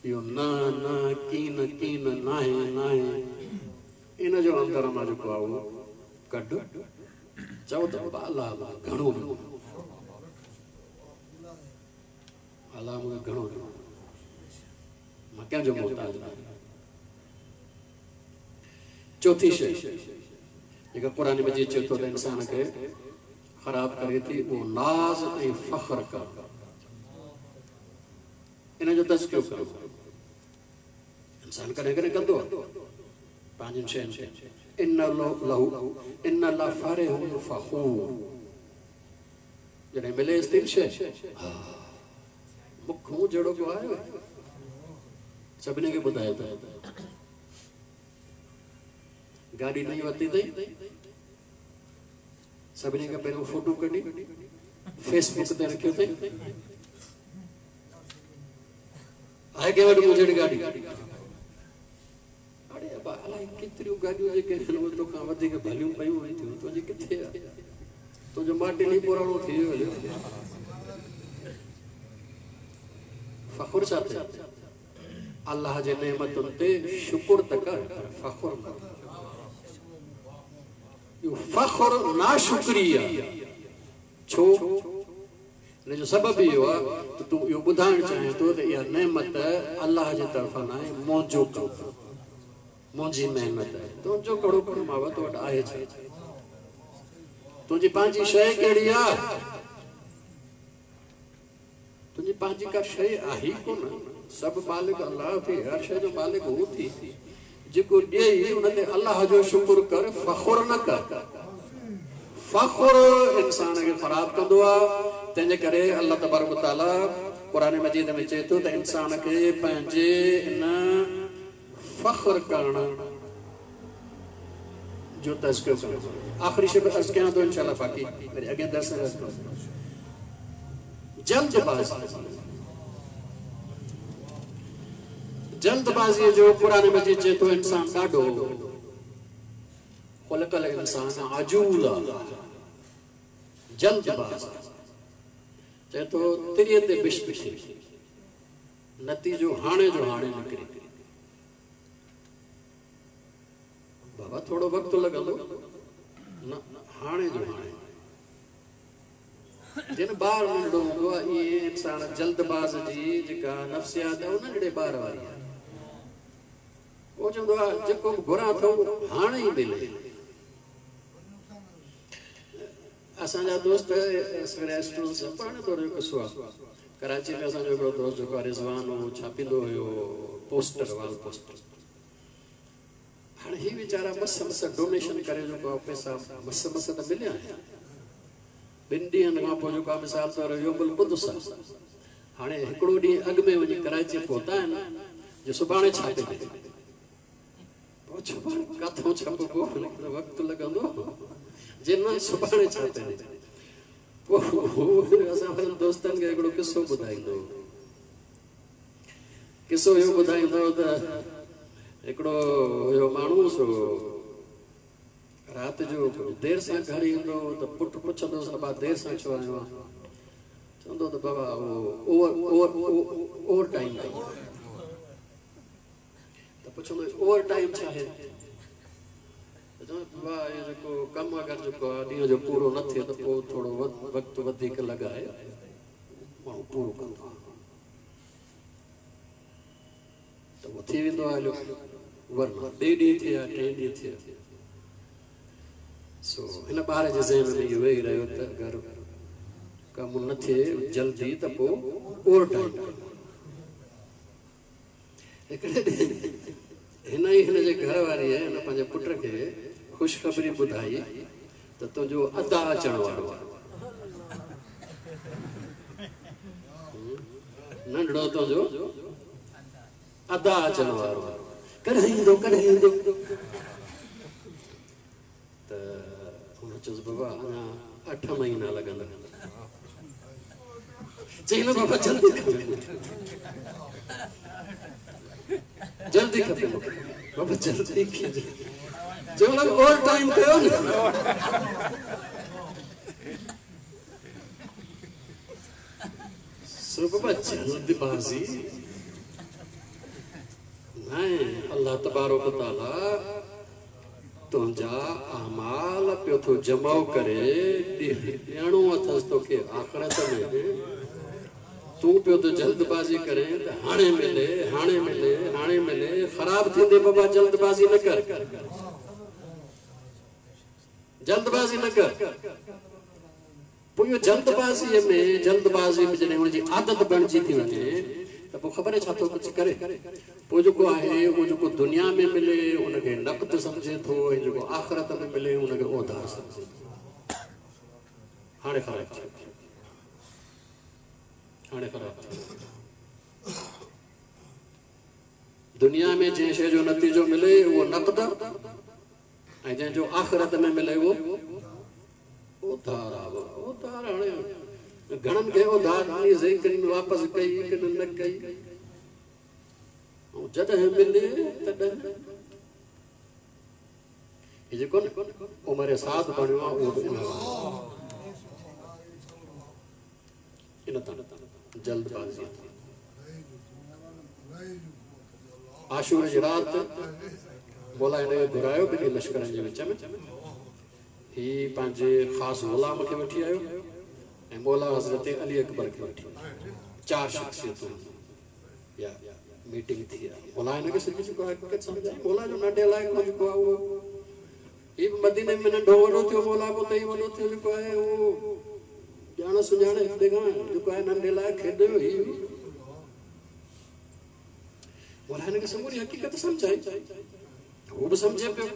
इहो न न कीन कीन नाहे नाहे इन जो अंदरि मां जेको आहे उहो कढ। चओ त अलाह मूंखे घणो ॾिनो, अलाह मूंखे घणो ॾिनो, मां कंहिंजो मोहताज न आहियां। चौथी शइ जेका क़ुर मजीद चए थो त इंसान खे ख़राब करे थी, उहो नाज़ ऐं फ़ख़्र करणु, इन जो तज़कियो करणु। इंसान कॾहिं कॾहिं कंदो आहे पंहिंजनि शयुनि ते। इन लहू इन ला फ़रिहुन फ़ख़ूर, जॾहिं मिलेसि थी शइ मुखूं जहिड़ो को आयो सभिनी खे ॿुधाए थो, गाॾी नई वरिती अथई, सभिनी खां पहिरियों फोटो कढी फेसबुक ते रखियो अथई, आहे कंहिं वटि मुंहिंजी जहिड़ी गाॾी? अड़े अबा अलाए केतिरियूं गाॾियूं जेके आहिनि उहे तोखां वधीक भलियूं पयूं थियूं, तुंहिंजी किथे आहे? तुंहिंजो माटिन ई पुराणो थी वियो हलियो। फ़ख़ुरु छा थिए? अलाह जे नेमतुनि ते शुक्र त कर, पर फ़ख़ुरु न कर। इहो फ़ख़ुरु नाशुक्री आहे। छो? हिन जो सबबु इहो आहे त तूं इहो ॿुधाइणु चाहीं थो त इहा नेमत अलाह जे तरफ़ां न आहे, मुंहिंजो कमु, मुंहिंजी महिनत आहे। तुंहिंजो कहिड़ो कमु आहे? तो वटि आहे छा? तुंहिंजी पंहिंजी शइ कहिड़ी आहे? तुंहिंजी पंहिंजी का शइ आहे ई कोन। सभु मालिक अलाह थी, हर शइ जो मालिक हू थी। जेको ॾियई उन ते अलाह जो शुक्र कर, फ़ख़ुरु न कर। फ़ख़ुरु इंसान खे ख़राबु कंदो आहे। तंहिंजे करे अलाह तबारक ताला क़ुर मजीद में चए थो त इंसान खे पंहिंजे इन फ़ख़्र करण जो तज़किरो करणु। आख़िरी शइ अर्ज़ कयां थो इंशाअल्लाह, बाक़ी वरी अॻियां दर्स अर्ज़ कयो। जल्दबाज़ी, जल्दबाज़ीअ जो क़ुर मजीद चए थो इंसान ॾाढो ख़ुलिक़ल इंसान अजूला, जल्दबाज़ चए थो तिरीअ ते बिश्त थिए, नतीजो हाणे जो हाणे निकिरे। बाबा थोरो वक़्तु लॻंदो न, हाणे जो हाणे। जिन ॿार नंढो हूंदो आहे इएं इंसान जल्दबाज़ जी जेका नफ़्सियात आहे उहो नंढड़े ॿार वारी आहे। उहो चवंदो आहे जेको बि घुरां थो हाणे ई मिले। असांजा दोस्त पुराणे दौर जो क़िसो आहे, कराची में असांजो हिकिड़ो दोस्त जेको आहे रिज़वान, उहो छापींदो हुयो पोस्टर, वाल पोस्टर। हाणे ही वीचारा मस मस डोनेशन करे जेको आहे पैसा मस मस त मिलिया आहिनि। ॿिनि ॾींहनि खां पोइ जेको आहे मिसाल तौरु योमुल क़ुदुस आहे, हाणे हिकिड़ो ॾींहुं अॻु में वञी कराची पहुता आहिनि जो सुभाणे छापे ॾे। पोइ सुभाणे किथां छापबो, वक़्तु लॻंदो, जे न सुभाणे छापे ॾे। पोइ असां पंहिंजनि दोस्तनि खे हिकिड़ो क़िसो ॿुधाईंदो। क़िसो इहो ॿुधाईंदो त हिकिड़ो हुयो माण्हू, सो राति जो देरि सां घर ईंदो त पुटु पुछंदोसि, अबा देरि सां छो आयो आहीं? चवंदो त बाबा उहो ओवर ओवर ओवर टाइम कई। त पुछंदो ओवर टाइम छा आहे? त चवंदो बाबा इहो जेको कमु अगरि जेको आहे ॾींहं जो पूरो न थिए त पोइ थोरो वक़्तु वधीक लॻाए माण्हू पूरो कंदो आहे। त उहो थी वेंदो आहे हलियो, वरना ॿिए ॾींहुं थिए टे ॾींहुं थिए। सो हिन ॿार जे ज़हन में इहो वेही रहियो त अगरि कमु न थिए जल्दी त पोइ ओवर टाइम। हिकिड़े ॾींहुं हिन ई हिन जे घर वारी आहे, हिन पंहिंजे पुट खे ख़ुशख़बरी ॿुधाई त तुंहिंजो अदा अचण वारो आहे, नंढड़ो तुंहिंजो अदा अचण वारो आहे, कॾहिं ईंदो कॾहिं ईंदो। त हुन चयोसि बाबा अञा अठ महीना लॻंदा। चई न बाबा जल्दी खपे, जल्दी खपे मूंखे बाबा, जल्दी चयो ओवर टाइम कयो न। सो बाबा जल्दबाजी न अल्लाह तबारक ताला तुंहिंजा आमाल पियो थो जमाओ करे ॾियणो अथसि तोखे आख़िरत में। तूं पियो थो जल्दबाज़ी करे त हाणे मिले हाणे मिले हाणे मिले। ख़राब थींदे बाबा जल्दबाज़ी न कर, जल्दबाज़ी न कर। पोइ इहो जल्दबाज़ीअ में जल्दबाज़ी में जॾहिं हुनजी आदत बणिजी थी वञे त पोइ ख़बर छा थो कुझु करे। पोइ जेको आहे उहो जेको दुनिया में मिले उनखे नक़द सम्झे थो ऐं जेको आख़िरत में मिले उनखे औधार सम्झे थो। हाणे ख़राब थियो, हाणे ख़राब थियो। दुनिया में जंहिं शइ जो नतीजो मिले उहो नक़द ऐं जंहिंजो आख़िरत में मिले उहो औधार आहे। औधार हाणे घणनि खे औधार ॾिनीसीं, कन वापसि कई कन न कई। ऐं जॾहिं मिले तॾहिं हीउ जेको उमर साद बणियो आहे उहो बि इन इन तां जल्दबाज़ी। आशूर जी राति मौला हिन खे घुरायो ॿिन्ही लश्करनि जे विच में। हीउ पंहिंजे ख़ासि ग़ुलाम खे वठी आयो ऐं मौला हज़रत अली अकबर खे वठी आयो। चारि शख़्सियतूं या मीटिंग थी आहे। मौला हिन खे सॼी जेको हक़ीक़त सम्झाई। मौला जो नंढे लाइक़ जेको आहे उहो हीउ बि मदीने में नंढो वॾो थियो, मौला पोइ त ई वॾो थियो जेको आहे उहो ॼाण सुञाणे हिते खां जेको आहे नंढे लाइक़ खेॾियो हीउ। मौला हिन खे समूरी हक़ीक़त सम्झाई, हू बि सम्झे पियो।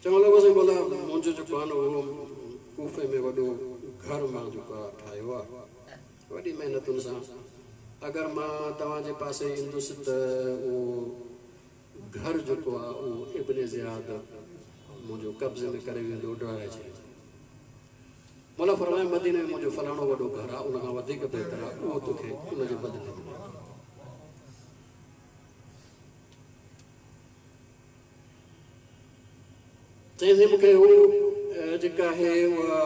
चवण लॻो साईं मौला मुंहिंजो जेको आहे न उहो कूफे में वॾो घर मां जेको आहे ठाहियो आहे वॾी महिनतुनि सां। अगरि मां तव्हांजे पासे ईंदुसि त उहो घर जेको आहे उहो इब्ने ज़ियाद मुंहिंजो कब्ज़े में करे वेंदो, डराए छॾींदो। मौला फरमाए मदीने में मुंहिंजो फलाणो वॾो घर आहे, उन खां वधीक बहितर आहे, उहो तोखे उनजे बदिले में। चयईंसि मूंखे हू जेका आहे उहा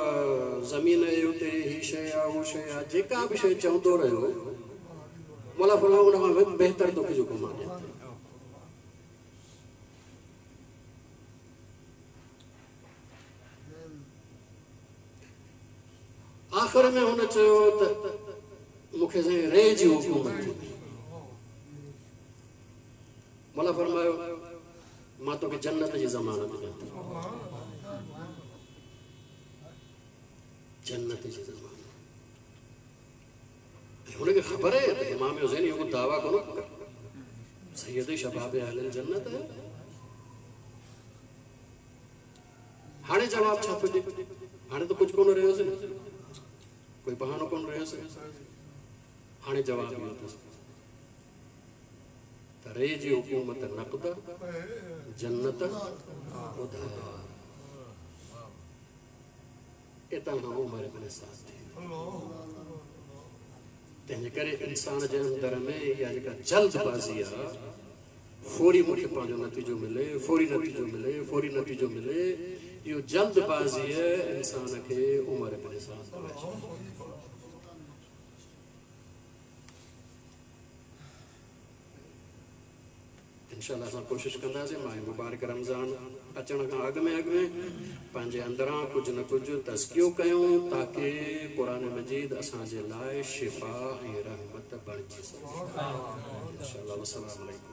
ज़मीन आहे उते हीअ शइ आहे उहा शइ आहे, जेका बि शइ चवंदो रहियो मौला फरमायो उन खां बहितर तोखे जेको मां ॾियां थो। आख़िर में हुन चयो त मूंखे साईं रे जी हुकूमत थी। मौला फरमायो मां तोखे जन्नत जी ज़मानत ॾियां थो, जन्नत जी ज़मानत। ऐं हुनखे ख़बर आहे त इमाम हुसैन इहो दावा कोन सैयद शबाब अहल जन्नत आहे। हाणे जवाब छा थो ॾिए? हाणे त कुझु कोन रहियोसीं, कोई बहानो कोन रहियोसीं। हाणे जवाब इहो अथसि त रे जी हुकूमत नक़द, जन्नत उधार। एतां खां उमर इब्न साद थी। तंहिंजे करे इंसान जे अंदरि में इहा जेका जल्दबाज़ी आहे, फौरी मूंखे पंहिंजो नतीजो मिले, फौरी नतीजो मिले, फौरी नतीजो मिले, इहो जल्दबाज़ीअ इंसान खे उमर इब्न साद बनाए छॾे। इंशाअल्लाह असां कोशिशि कंदासीं माह मुबारक रमज़ान अचण खां अॻु में अॻु में पंहिंजे अंदरां कुझु न कुझु तज़कियो कयूं ताकी क़ुरान मजीद असांजे लाइ शिफ़ा ऐं रहमत बणिजी सघे। इंशाअल्लाह। वस्सलाम अलैकुम।